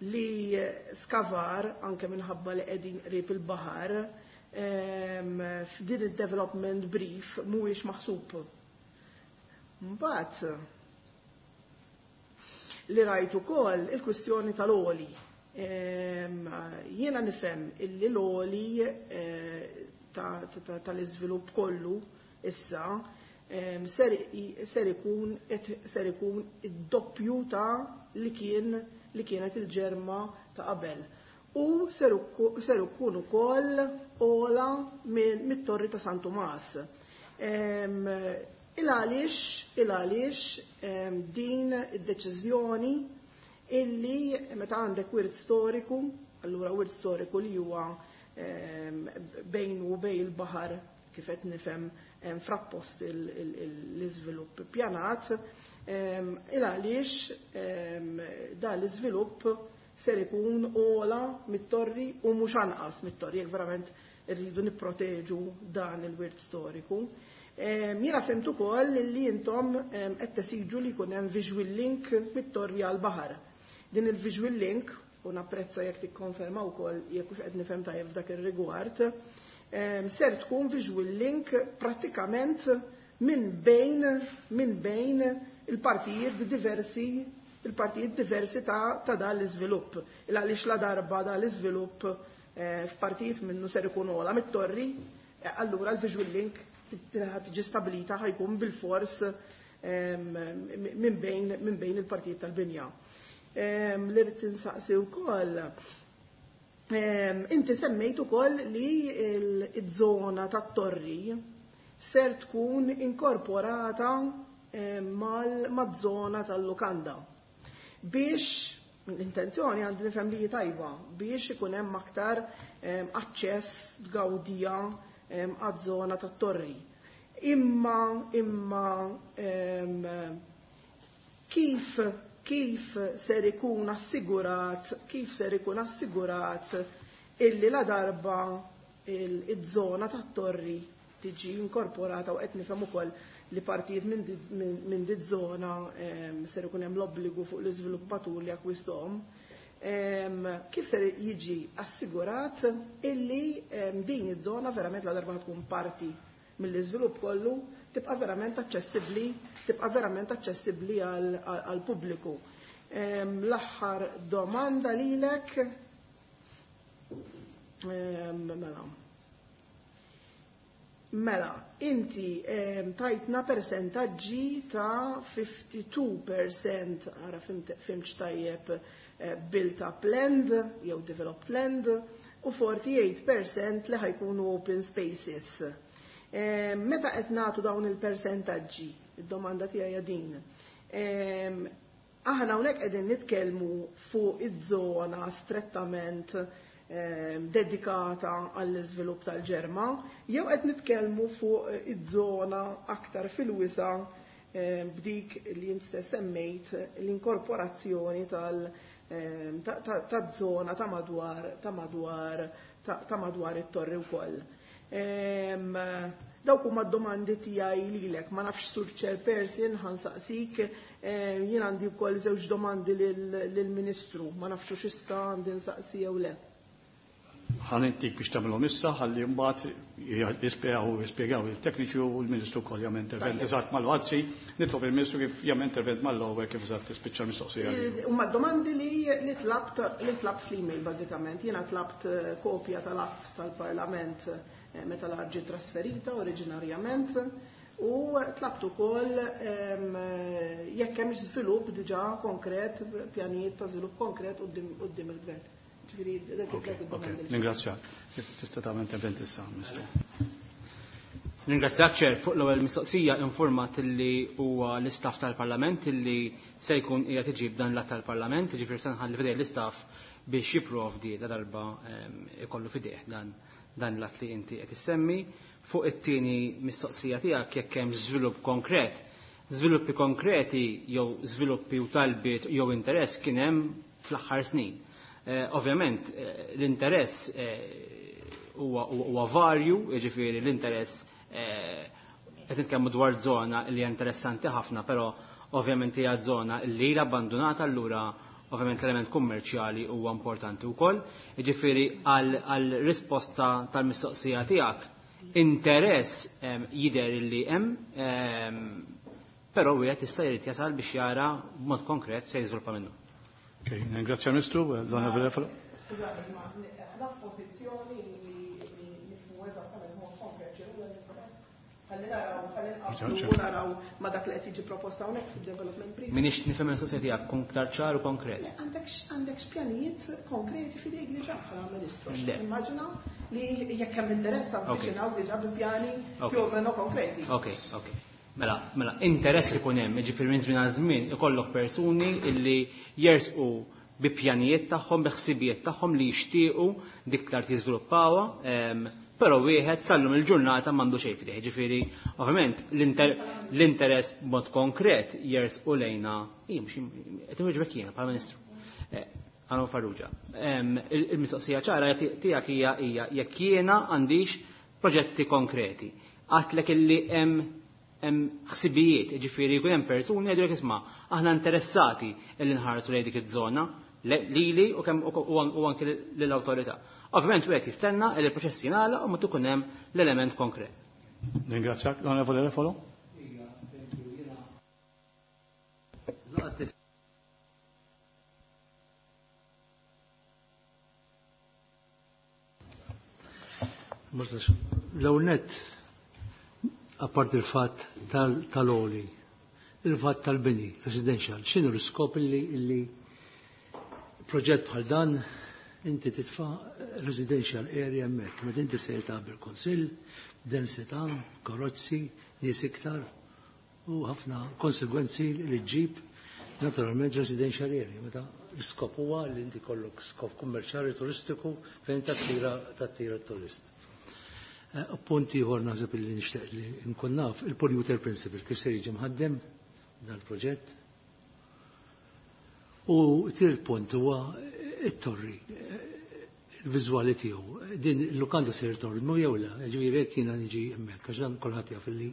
li skavar, anke minħabba li qegħdin qrib il-baħar, f'din id-development brief mhuwiex maħsub. Mbagħad li rajt ukoll il-kwistjoni tal-għoli. Jiena nifhem illi l-għoli tal-iżvilupp kollu issa ser ikun id-doppju ta' li kienet il-Ġerma ta' qabel. U ser ikun ukoll ogħla mit-torri ta' San Tumas. Il-għaliex din id-deċiżjoni illi meta għandek wirt storiku, allura wirt storiku li huwa bejn u bejn il-baħar, kif qed nifhem frappost l-iżvilupp pjanat, il għaliex da l-iżvilupp ser ikun ogħla mit-torri u mhux anqas mit-torri jekk verament irridu nipproteġu dan il-wirt storiku? Jiena fhimt ukoll li intom qed tesiġu li jkun hemm visual link mit-torri għal baħar. Din il-visual link, u napprezza jekk tikkonferma wkoll jekk hux qed nifhem tajjeb f'dak ir-rigward, ser tkun visual link prattikament minn bejn il-partijiet diversi ta' dan l-iżvilupp. Il għaliex la darba dan l-iżvilupp f'partijiet minnu ser ikun ogħla mit-torri, allura l-visual link tiġi stabilita ħa jkun bil-fors minn bejn il-partijiet tal-binja. Li rrid tinsaqsi wkoll, inti semmejt ukoll li il-żona tat-torri ser tkun inkorporata mal-żona tal-lukanda. Biex l-intenzjoni għandi nifhem li tajba biex ikun hemm aktar aċċess, tgawdija għaż-żona tat-torri. Imma kif ser ikun assigurat illi la darba il-żona tat-torri tiġi inkorporata, u qed nifhem ukoll li partijiet minn di żona ser ikun hemm l-obbligu fuq l-iżviluppatur li akkwisthom, kif ser jiġi assigurat illi din iż-żona verament, la darba tkun parti mill-iżvilupp kollu, tibqa' verament aċċessibbli għal pubbliku? L-aħħar domanda lilek. Mela, inti tajtna percentaġġi ta' 52%, ara fhimtx tajjeb, built up land jew developed land u 48% li ħa jkunu open spaces. Meta qed nagħtu dawn il-persentaġġi, id-domanda tiegħi din. Aħna hawnhekk qegħdin nitkellmu fuq iż-żona strettament dedikata għall-iżvilupp tal-Ġerma, jew qed nitkellmu fuq iż-żona aktar fil-wisa b'dik li jint stess semmejt, l-inkorporazzjoni ta' żona ta' madwar it-torri wkoll? Dawk huma d-domandi tiegħi lilek, ma nafx, Sur Chairperson, ħa nsaqsik, jien għandi wkoll żewġ domandi lill-Ministru, ma nafx x'issa għandi nsaqsi jew le. Ħa ntik biex tagħmilhom issa ħalli mbagħad jispjegaw il-tekniċi u l-Ministru wkoll jagħmel intervent eżatt mal-wazzi, nitlob il-Ministru kif jagħmel intervent mal-ewwel kif eżatt tispiċċa mistoqsija. Huma domandi li tlabt fl-email bażikament. Jiena tlabt kopja tal-att tal-Parlament meta l-art ġiet trasferita oriġinarjament u tlabt ukoll jekk hemm żvilupp diġà konkret, pjanijiet ta' żvilupp konkret quddiem il-gvern. Ġifieri dak id-domandi. Ningrazzjak. Tista' tagħmel intervent issa, Ministru. Ringrazzjak, Chair. Fuq l-ewwel mistoqsija, informat li huwa l-istaff tal-Parlament illi se jkun qiegħed iġib dan l-att tal-Parlament, jiġifieri se nħalli f'idejh l-istaff biex jipprovdi la darba ikollu f'idejh dan l-att li inti qed issemmi. Fuq it-tieni mistoqsija tiegħek, jekk hemm żvilupp konkret, żviluppi konkreti jew żviluppi u talbiet jew interess kien hemm fl-aħħar snin. Ovvjament l-interess huwa varju, jiġifieri l-interess qed nitkellmu dwar żona li hija interessanti ħafna, però ovvjament hija żona li ilha abbandonata, allura ovvjament l-element kummerċjali huwa importanti wkoll. Jiġifieri għal risposta tal-mistoqsija tiegħek, interess jidher li hemm, però wieħed jista' jrid jasal biex jara b'mod konkret se jiżviluppa minnu. Ok, ningrazzja Ministru, l-Onorevoli Refalo. Skużani, ma aħna f'pożizzjoni li nifhmu eżattament mod konkret x'inhu l-interess. Ħalli naraw, ħalli nqabblu u naraw ma dak li qed jiġi proposta hawnhekk fid-development brief. M'iniex nifhem il-mistoqsija tiegħek, kun aktar ċar u konkret. Għandek x'pjanijiet konkreti f'idejk diġà bħala Ministru? Le. Immaġina li jekk hemm interess avviċinaw diġà bi pjani più o meno konkreti. Ok. Mela, interess ikun hemm, jiġifieri minn żmien għal żmien ikollok persuni illi jersqu bi pjanijiet tagħhom, bi ħsibijiet tagħhom li jixtiequ dik l-art jiżviluppawha, però wieħed sallum il-ġurnata m'għandu xejn f'idejh. Ġifieri, ovvjament, l-interess b'mod konkret jersqu lejna, mhux qed inwieġbek jiena bħala Ministru. Għanu Farrugia. Il-mistoqsija ċara tiegħek hija jekk jiena għandix proġetti konkreti. Għedtlek illi hemm ħsibijiet, ġifieri jkun hemm persuni jgħidu isma' aħna interessati illi nħarsu lejn dik iż-żona lili u kemm u anke lill-awtorità. Ovvjament wieħed jistenna li l-proċess jingħalaq u ma tkun hemm l-element konkret. Ningrazzjak, l-Onorevoli Refalo. L-ewwel nett, apart il-fatt tal-oli, il-fatt tal-bini, residential, x'inhu l-iskop illi proġett bħal dan inti titfa' residential area hemmhekk, meta inti sejr tagħmel kunsill, densità, karozzi, nies iktar u ħafna konsegwenzi li ġġib naturalment residential area. Meta l-iskop huwa li inti kollok skop kummerċjali turistiku fejn tattira turist. Punt ieħor naħseb li nixtieq li nkun naf il-polluter principle kif se jiġi mħaddem dal-proġett. U tielet punt huwa it-torri, il-viżwali tiegħu. Din il-lukanda se torri mu jew le, ġifieri jekk jiena niġi hemmhekk għax dan kulħadd jaf li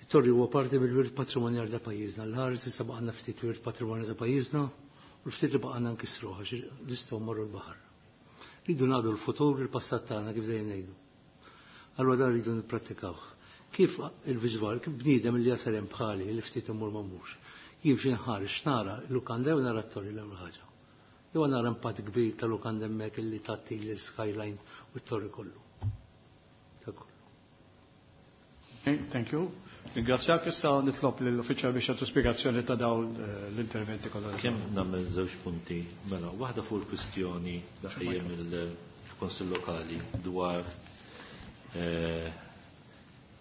it-torri huwa parti mill-wirt patrimonjali ta' pajjiżna. L-ħares issa baqgħna ftit wirt patrimonjali ta' pajjiżna u ftit li baqgħna nkissruha għax nistgħu mmorru l-baħar. Rridu nagħdu l-futur il-passat tagħna kif dejjem ngħidu. Allura dan rridu nipprattikawh. Kif il-viżwal, kif bniedem li jasal hemm bħali li ftit imur ma mhux. Jien nħares nara l-lukanda jew nara t-torri l-ewwel ħaġa? Jew nara impatt kbir ta' lukanda hemmhekk illi tagħti l-skyline u t-torri kollu. Ta' kollu. Okay, thank you. Ringrazzjak, issa nitlob lill-uffiċjal biex jagħtu spjegazzjoni ta' dawn l-interventi kollha. Kemm nagħmel żewġ punti, mela, waħda fuq il-kwistjoni daqjem il-Kunsill Lokali dwar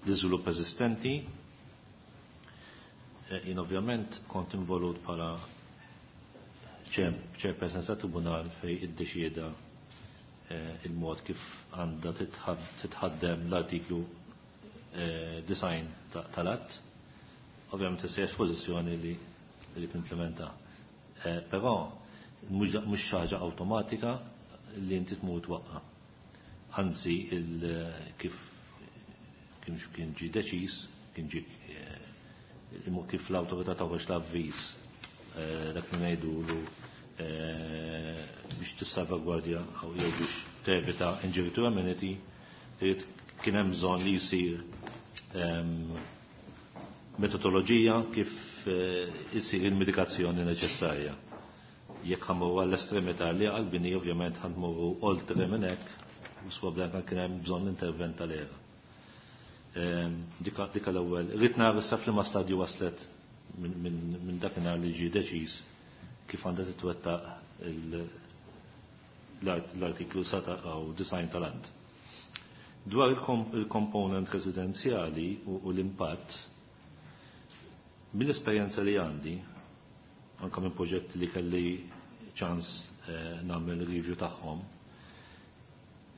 l-iżvilupp eżistenti. Jien ovvjament kont involut bħala chairperson ta' tribunal fej iddeċieda il-mod kif għandha titħaddem l-artiklu 90 tal-att. Ovvjament issa pożizzjoni li timplementa. Però mhux ħaġa awtomatika li inti tmur twaqqa. Anzi, kif kien ġie deċiż, kien ġie kif l-awtorità toħroġ l-avviż dak li ngħidulu biex tissalvagwardja jew biex tevita injury to amenity, kien hemm bżonn li jsir metodoloġija kif isir il-medikazzjoni neċessarja. Jekk ħammurru għall-estremità li għall-bini, ovvjament ħanmurru oltre minn hekk, u sproblema kien hemm bżonn l-intervent tal-ERA. Dika l-ewwel. Rrid nara issa f'liema stadju waslet minn dakinhar li ġie deċiż kif għandha titwettaq l-artiklu 97 tal-Att. Dwar il-component residenzjali u l-impatt, mill-esperjenza li għandi, anka minn proġetti li kelli ċans nagħmel review tagħhom,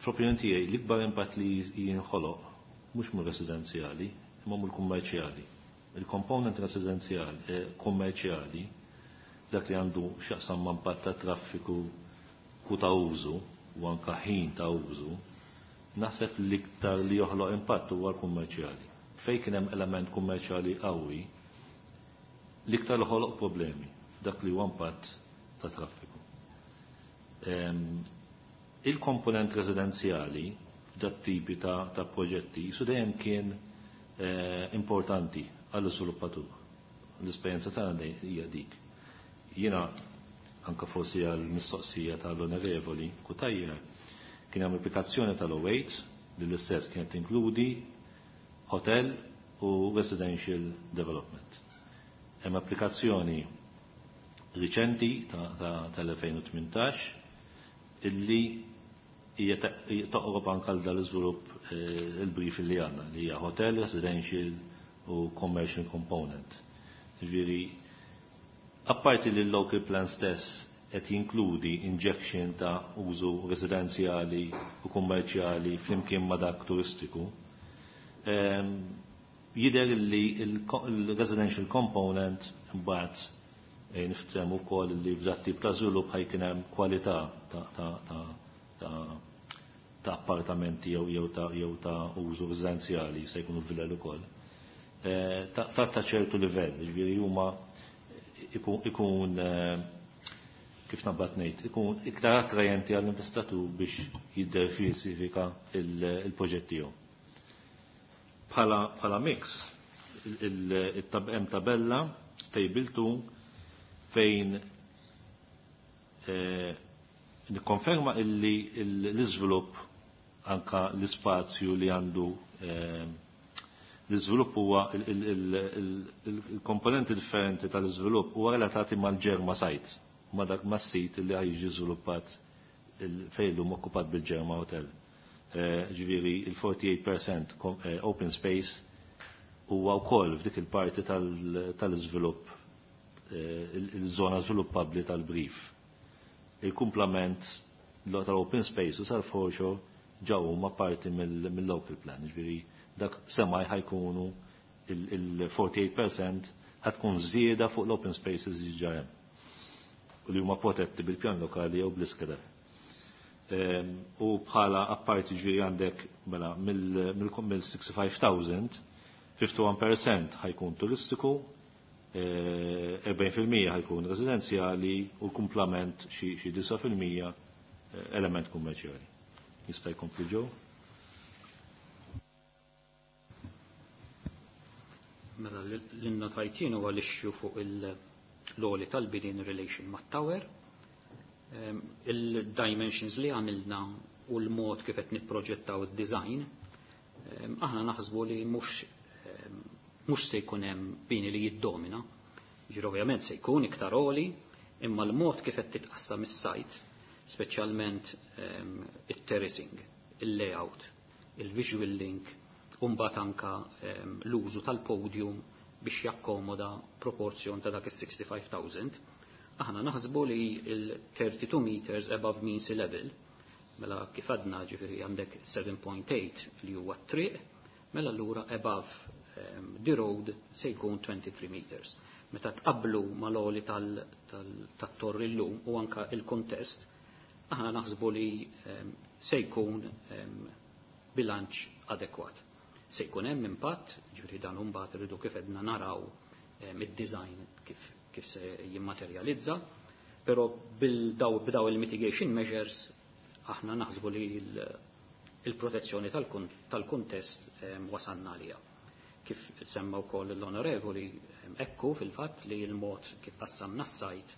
fl-opinjoni tiegħi l-ikbar impatt li jinħoloq mhux mir-residenzjali, imma mill-kummerċjali. Il-component residenzjali kummerċjali, dak li għandu x'jaqsam ma' impatt ta' traffiku u ta' użu, u anka ħin ta' użu, naħseb l-iktar li joħloq impatt huwa l-kummerċjali. Fejn kien hemm element kummerċjali qawwi, l-iktar li ħoloq problemi dak li huwa impatt ta' traffiku. Il-komponent residenzjali dat tipi ta' proġetti su dejjem kien importanti għall-iżviluppatur. L-esperjenza tagħna hija dik. Jiena anka forsi għall-mistoqsija tal-Onorevoli Cutajar kien hemm applikazzjoni tal-08 li l-istess kienet tinkludi hotel u residential development. Hemm applikazzjoni riċenti tal-2018 illi hija toqrob anke għal dal-iżvilupp il-brief li għandna li hija hotel, residential u commercial component. Ġifieri, apparti li l-local plan stess qed jinkludi injection ta' użu residenzjali u kummerċjali flimkien ma' dak turistiku, jidher li il-residential component mbagħad niftehmu wkoll li f'dat tip ta' żvilupp ħajkien hemm kwalità ta' appartamenti jew ta' użu residenzjali, se jkunu villel ukoll. Ta' ċertu livell, ġifieri huma ikun, kif nabbat ngħid, ikun iktar attrajenti għall-investitur biex jiddiversifika il-proġett tiegħu. Bħala mix, hemm tabella table 2 fejn nikkonferma illi l-iżvilupp, anka l-ispazju li għandu l-iżvilupp, huwa il-komponenti differenti tal-iżvilupp huwa relatati mal-Ġerma site, ma dak mas-sit li ħajġi żviluppat fejn llum okkupat bil-Ġerma Hotel. Ġifieri il-48% open space huwa wkoll f'dik il-parti tal-iżvilupp, il-żona żviluppabbli tal-brief. Il-kumplament tal-open space u sal-foreshore ġew huma parti mill-local plan, ġifieri dak semmaj ħajkunu il-48% ħatkun żieda fuq l-open spaces diġà hemm u li huma protetti bil-pjan lokali jew bl-iskeda. U bħala apparti, ġifieri għandek mela mill-65,000, 51% ħajkun turistiku, 40% ħajkun residenzjali u l-kumplament xi 9% element kummerċjali. Jista' jkompli ġew? Mela l-innotajtin huwa l-issue fuq l-għoli tal-bini in relation mat-tower, il-dimensions li għamilna u l-mod kif qed nipproġettaw id-design, aħna naħsbu li mhux se jkun hemm bini li jiddomina. Ġifieri ovvjament se jkun iktar għoli, imma l-mod kif qed titqassam is-site, speċjalment it-terracing, il-layout, il-visual link, u mbagħad anka l-użu tal-podium biex jakkomoda proporzjon ta' dak is-65,000. Aħna naħsbu li il-32 meters above mean sea level, mela kif għadna, ġifieri għandek 7.8 li huwa t-triq, mela allura above the road se jkun 23 meters. Meta tqablu mal-għoli tat-torri llum u anka il-kontest, aħna naħsbu li se jkun bilanċ adekwat. Se jkun hemm impatt, ġifieri dan imbagħad irridu kif edna naraw id-design kif se jimmaterjalizza, però b'daw il-mitigation measures aħna naħsbu li il-protezzjoni tal-kuntest wasalna għaliha. Kif semma wkoll l-onorevoli, ekku fil-fatt li l-mod kif qassamna s-site,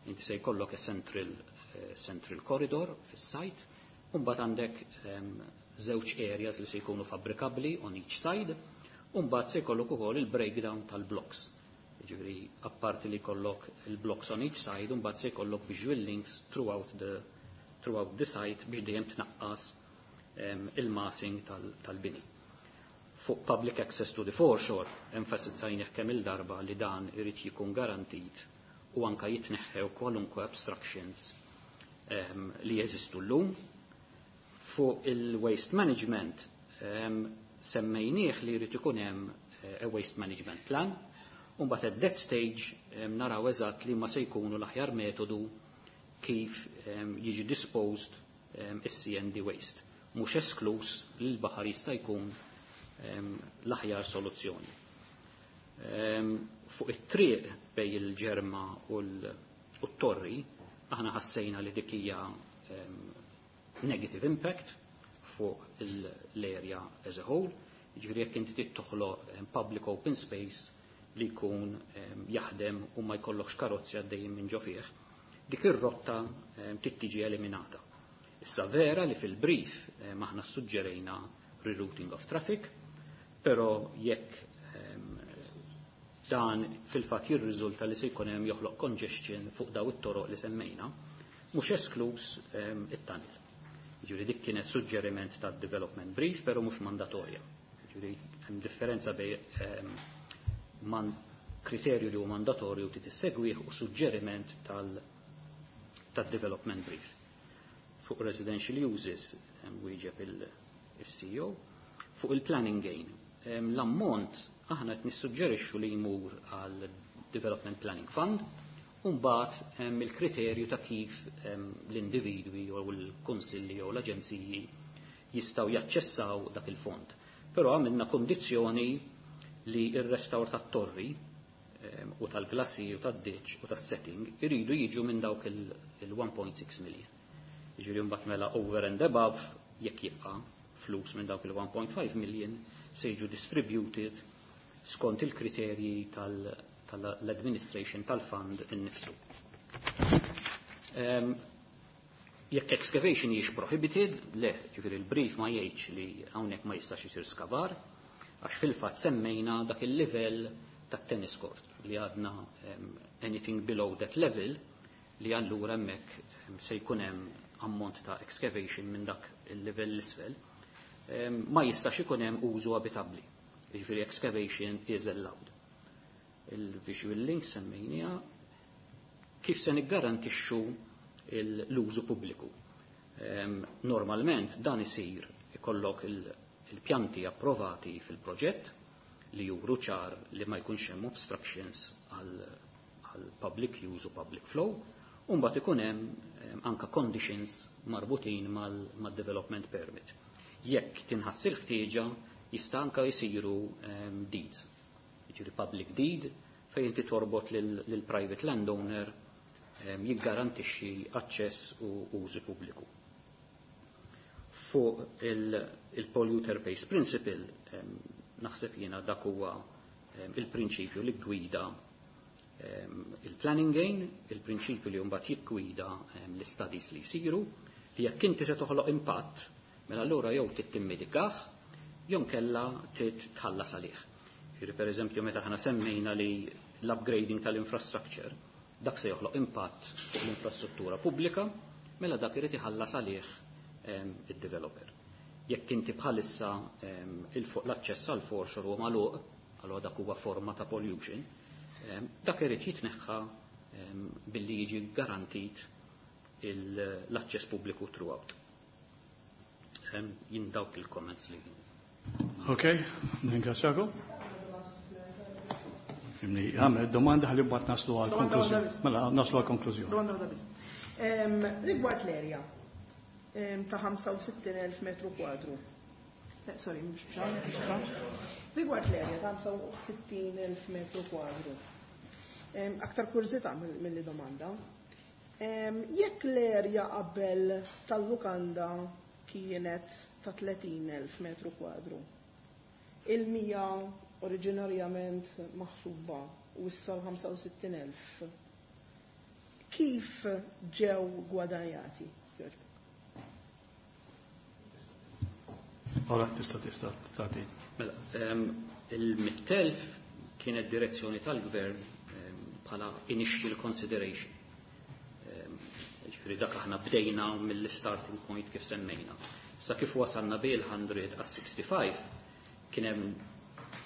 inti se jkollok central corridor fis-site, u mbagħad għandek żewġ areas li se jkunu fabbrikabbli on each side, u mbagħad se jkollok ukoll il-breakdown tal-blocks. Jiġifieri apparti li jkollok il-blocks on each side, u mbagħad se jkollok visual links throughout the site biex dejjem tnaqqas il-massing tal-bini. Fuq public access to the foreshore, enfasizzajnieh kemm il-darba li dan irid jkun garantit u anka jitneħħew kwalunkwe obstructions li jeżistu llum. Fuq il-waste management, semmejnieh li jrid ikun hemm a waste management plan, u mbagħad at that stage naraw eżatt li ma se jkunu l-aħjar metodu kif jiġi disposed is-C&D waste. Mhux esklus li l-baħar jista' jkun l-aħjar soluzzjoni. Fuq it-triq bej il-Ġerma u l-Torri, aħna ħassejna li dik hija negative impact fuq l-area as a whole, ġifieri jekk inti trid toħloq public open space li jkun jaħdem u ma jkollokx karozzi għaddejjin minn ġo fih, dik ir-rotta trid tiġi eliminata. Issa vera li fil-brief aħna suġġerejna rerouting of traffic, però jekk dan fil-fatt jirriżulta li se jkun hemm joħloq congestion fuq daw it-toroq li semmejna, mhux esklus it-tunnel. Ġifieri dik kienet suġġeriment ta' development brief, però mhux mandatorja. Ġifieri hemm differenza bej man kriterju li hu mandatorju ti tissegwih u suġġeriment tal-development brief. Fuq residential uses wieġeb il-CEO. Fuq il-planning gain, l-ammont aħna qed nissuġġerixxu li jmur għal Development Planning Fund, u mbagħad il-kriterju ta' kif l-individwi jew il-kunsilli jew l-aġenziji jistgħu jaċċessaw dak il-fond. Però għamilna kondizzjoni li r-restawr tat-torri u tal-glacier u tad-ditch u tas-setting iridu jiġu minn dawk il-1.6 million. Jiġifieri mbagħad mela over and above, jekk jibqa' flus minn dawk il-1.5 million, se jiġu distributed skont il-kriterji tal-administration tal-fund innifsu. Jekk excavation hijiex prohibited, le, ġifieri il-brief ma jgħidx li hawnhekk ma jistax isir skavar, għax fil-fatt semmejna dak il-livell tat-tennis court li għadna anything below that level, li allura hemmhekk se jkun hemm ammont ta' excavation minn dak il-livell l-isfel, ma jistax ikun hemm użu abitabbli. Jiġifieri excavation is allowed. Il-visual link semmejnija. Kif se niggarantixxu l-użu pubbliku? Normalment dan isir ikollok il-pjanti approvati fil-proġett li juru ċar li ma jkunx hemm obstructions għal public use u public flow, u mbagħad ikun hemm anka conditions marbutin mal-development permit. Jekk tinħass il-ħtieġa, jista' anka jsiru deeds, jiġifieri public deed fejn inti torbot lil private landowner jiggarantixxi aċċess u użu pubbliku. Fuq il-polluter pays principle, naħseb jiena dak huwa il-prinċipju li gwida il-planning gain, il-prinċipju li mbagħad jiggwida l-studies li jsiru, li jekk inti se toħloq impatt, mela allura jew trid timmedikah, jew kella trid tħallas għalih. Jiġifieri per eżempju meta aħna semmejna li l-upgrading tal-infrastructure, dak se joħloq impatt fuq l-infrastruttura pubblika, mela dak irid iħallas għalih id-developer. Jekk inti bħalissa l-aċċess għal foreshore huwa magħluq, allura dak huwa forma ta' pollution, dak irid jitneħħa billi jiġi garantit l-aċċess pubbliku throughout. Jien dawk il-comments li. Ok, ningrazzjakom. Fimni, għamel domanda ħalli mbagħad naslu għal konklużjoni. Mela naslu għal konklużjoni. Domanda waħda biss. Rigward l-area. ta' 65,000 metru kwadru. Sorry, mhux biex. Rigward l-erja ta' 65,000 metru kwadru. Aktar kurżità milli domanda. Jekk l-erja qabel tal-lukanda kienet ta' 30,000 metru kwadru, il-100 oriġinarjament maħsuba u issa l-65,000, kif ġew gwadanjati? Ora, tista' tista' tagħti. Mela, il-100,000 kienet direzzjoni tal-gvern bħala initial consideration. Ġifieri dak aħna bdejna mill-starting point kif semmejna. Sa kif wasalna bil 100 għas 65 kien hemm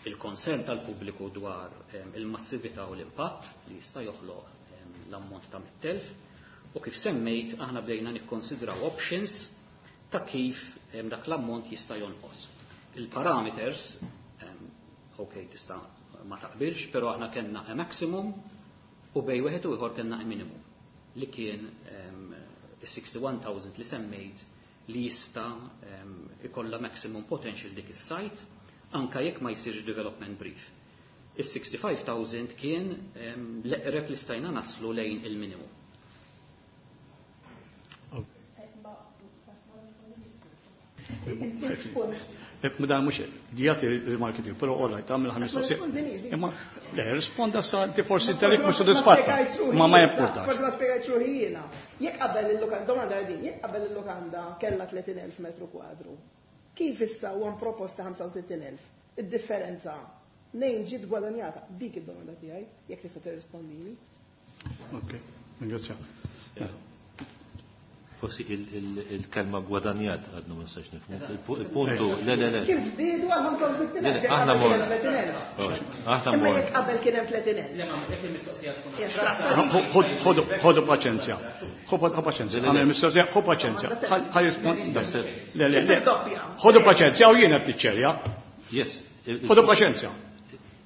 il-konsern tal-pubbliku dwar il-massività u l-impatt li jista' joħloq l-ammont ta' 100,000 u kif semmejt aħna bdejna nikkonsidraw options ta' kif dak l-ammont jista' jonqos. Il-parameters, ok, tista' ma taqbilx, però aħna kellna a maximum u bejn wieħed u ieħor kellna a minimum li kien is-61,000 li semmejt li jista' ikollha maximum potential dik is-site anka jekk ma jsirx development brief. Is-65,000 kien l-eqreb li stajna naslu lejn il-minimum. Dan mhux jagħti il-marketing, però all right, tagħmel ħames mistoqsija. Imma le, risponda sa inti forsi inti mhux sodisfatta. Ma ma importa. Forsi ma spjegajtx ruħi jiena. Jekk qabel il-lukanda, domanda din, jekk qabel il-lukanda kellha 30,000 metru kwadru, kif issa huwa proposta 65,000? Id-differenza nejn ġiet gwadanjata? Dik id-domanda tiegħi, jekk tista' tirrispondini. Ok, ringrazzja. Forsi il-kelma gwadanjat għadnu ma nistax nifhmu. Il-puntu, le, le, le. Kif żdiedu għal 65,000? Aħna mor. Aħna mor. Imma jekk qabel kien hemm 30,000. Le, ma jekk il-mistoqsija tkun. Ħodu paċenzja. Ħodu paċenzja. Għamel mistoqsija, ħodu paċenzja. Ħa jirrispondi. Le, le, le. Ħodu paċenzja u jiena qed niċċerja. Yes. Ħodu paċenzja.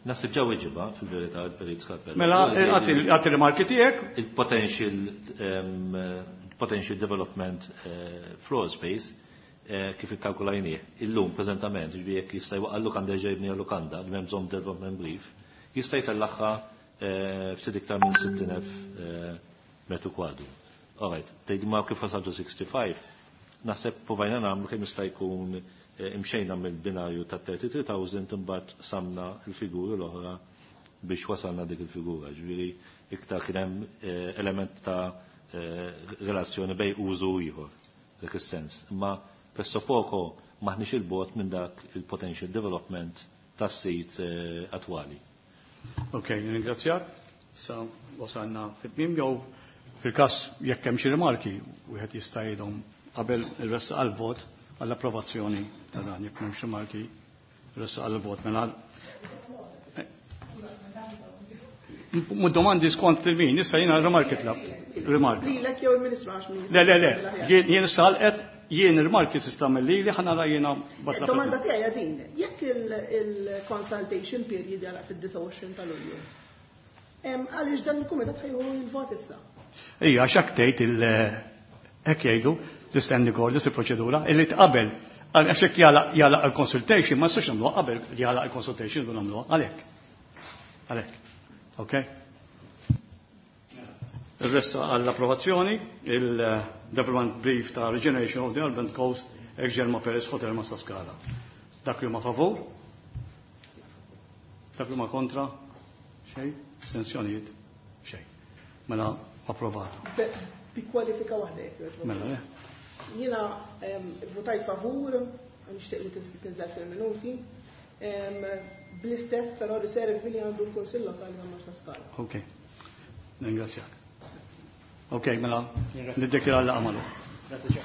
Naħseb ġew weġiba fil-verità il-Perit Scarpello. Mela, għati rimarki tiegħek. Il-potential potential development floor space kif ikkalkulajnieh illum preżentament, ġifieri jekk jista' jwaqqa' lukanda jerġa' jibni lukanda li m'hemm bżonn development brief, jista' jtellaħħa ftit iktar minn 60,000 metru kwadru. All right, tgħid ma kif wasaltu 65, naħseb provajna nagħmlu kemm jista' jkun imxejna mill-binarju ta' 33,000 imbagħad samna l-figuri l-oħra biex wasalna dik il-figura. Ġifieri iktar kien hemm element ta' relazzjoni bej użu ieħor dak is-sens. Imma presso poco maħniex il-bot minn dak il-potential development tas-sit attwali. Ok, ringrazzjak. Sa wasalna fit-tmiem jew fil-każ jekk hemm xi rimarki wieħed jista' jgħidhom qabel il-resta għall-vot għall-approvazzjoni ta' dan jekk m'hemmx rimarki resta għall-vot mela. Domandi skont il-min, issa jiena rimarki tlabt. Rimarki. Lilek jew il-Ministru għax ministru. Le, le, le, jien salqet, jien rimarki tista' mill-li li ħanara jiena batla. Domanda tiegħi din, jekk il-consultation period jagħlaq fid-29 ta' Lulju. Għaliex dan il-kumitat ħajħu il-vot issa? Ija, għax hekk tgħid il hekk jgħidu l-standing orders il-proċedura illi tqabel għax hekk jagħlaq il-consultation ma nistax nagħmluha qabel jagħlaq il-consultation du nagħmluha għalhekk. Għalhekk. Ok? Il-resta għall-approvazzjoni, il-Development Brief ta' Regeneration of the Urban Coast, ex-Germa Perez Hotel Marsaskala. Dak li huma favur? Dak li huma kontra? Xejn? Astensjonijiet? Xejn. Mela approvata. Bi kwalifika waħda jekk jogħġbok. Mela, le. Jiena votajt favur, nixtieq li tinżel fil-minuti. Bl-istess però riservi li għandu l-Kunsill Lokali ta' Marsaskala. Ok. Ringrazzjak. Ok, mela, niddikjara l-laqgħa magħluqa. Grazie.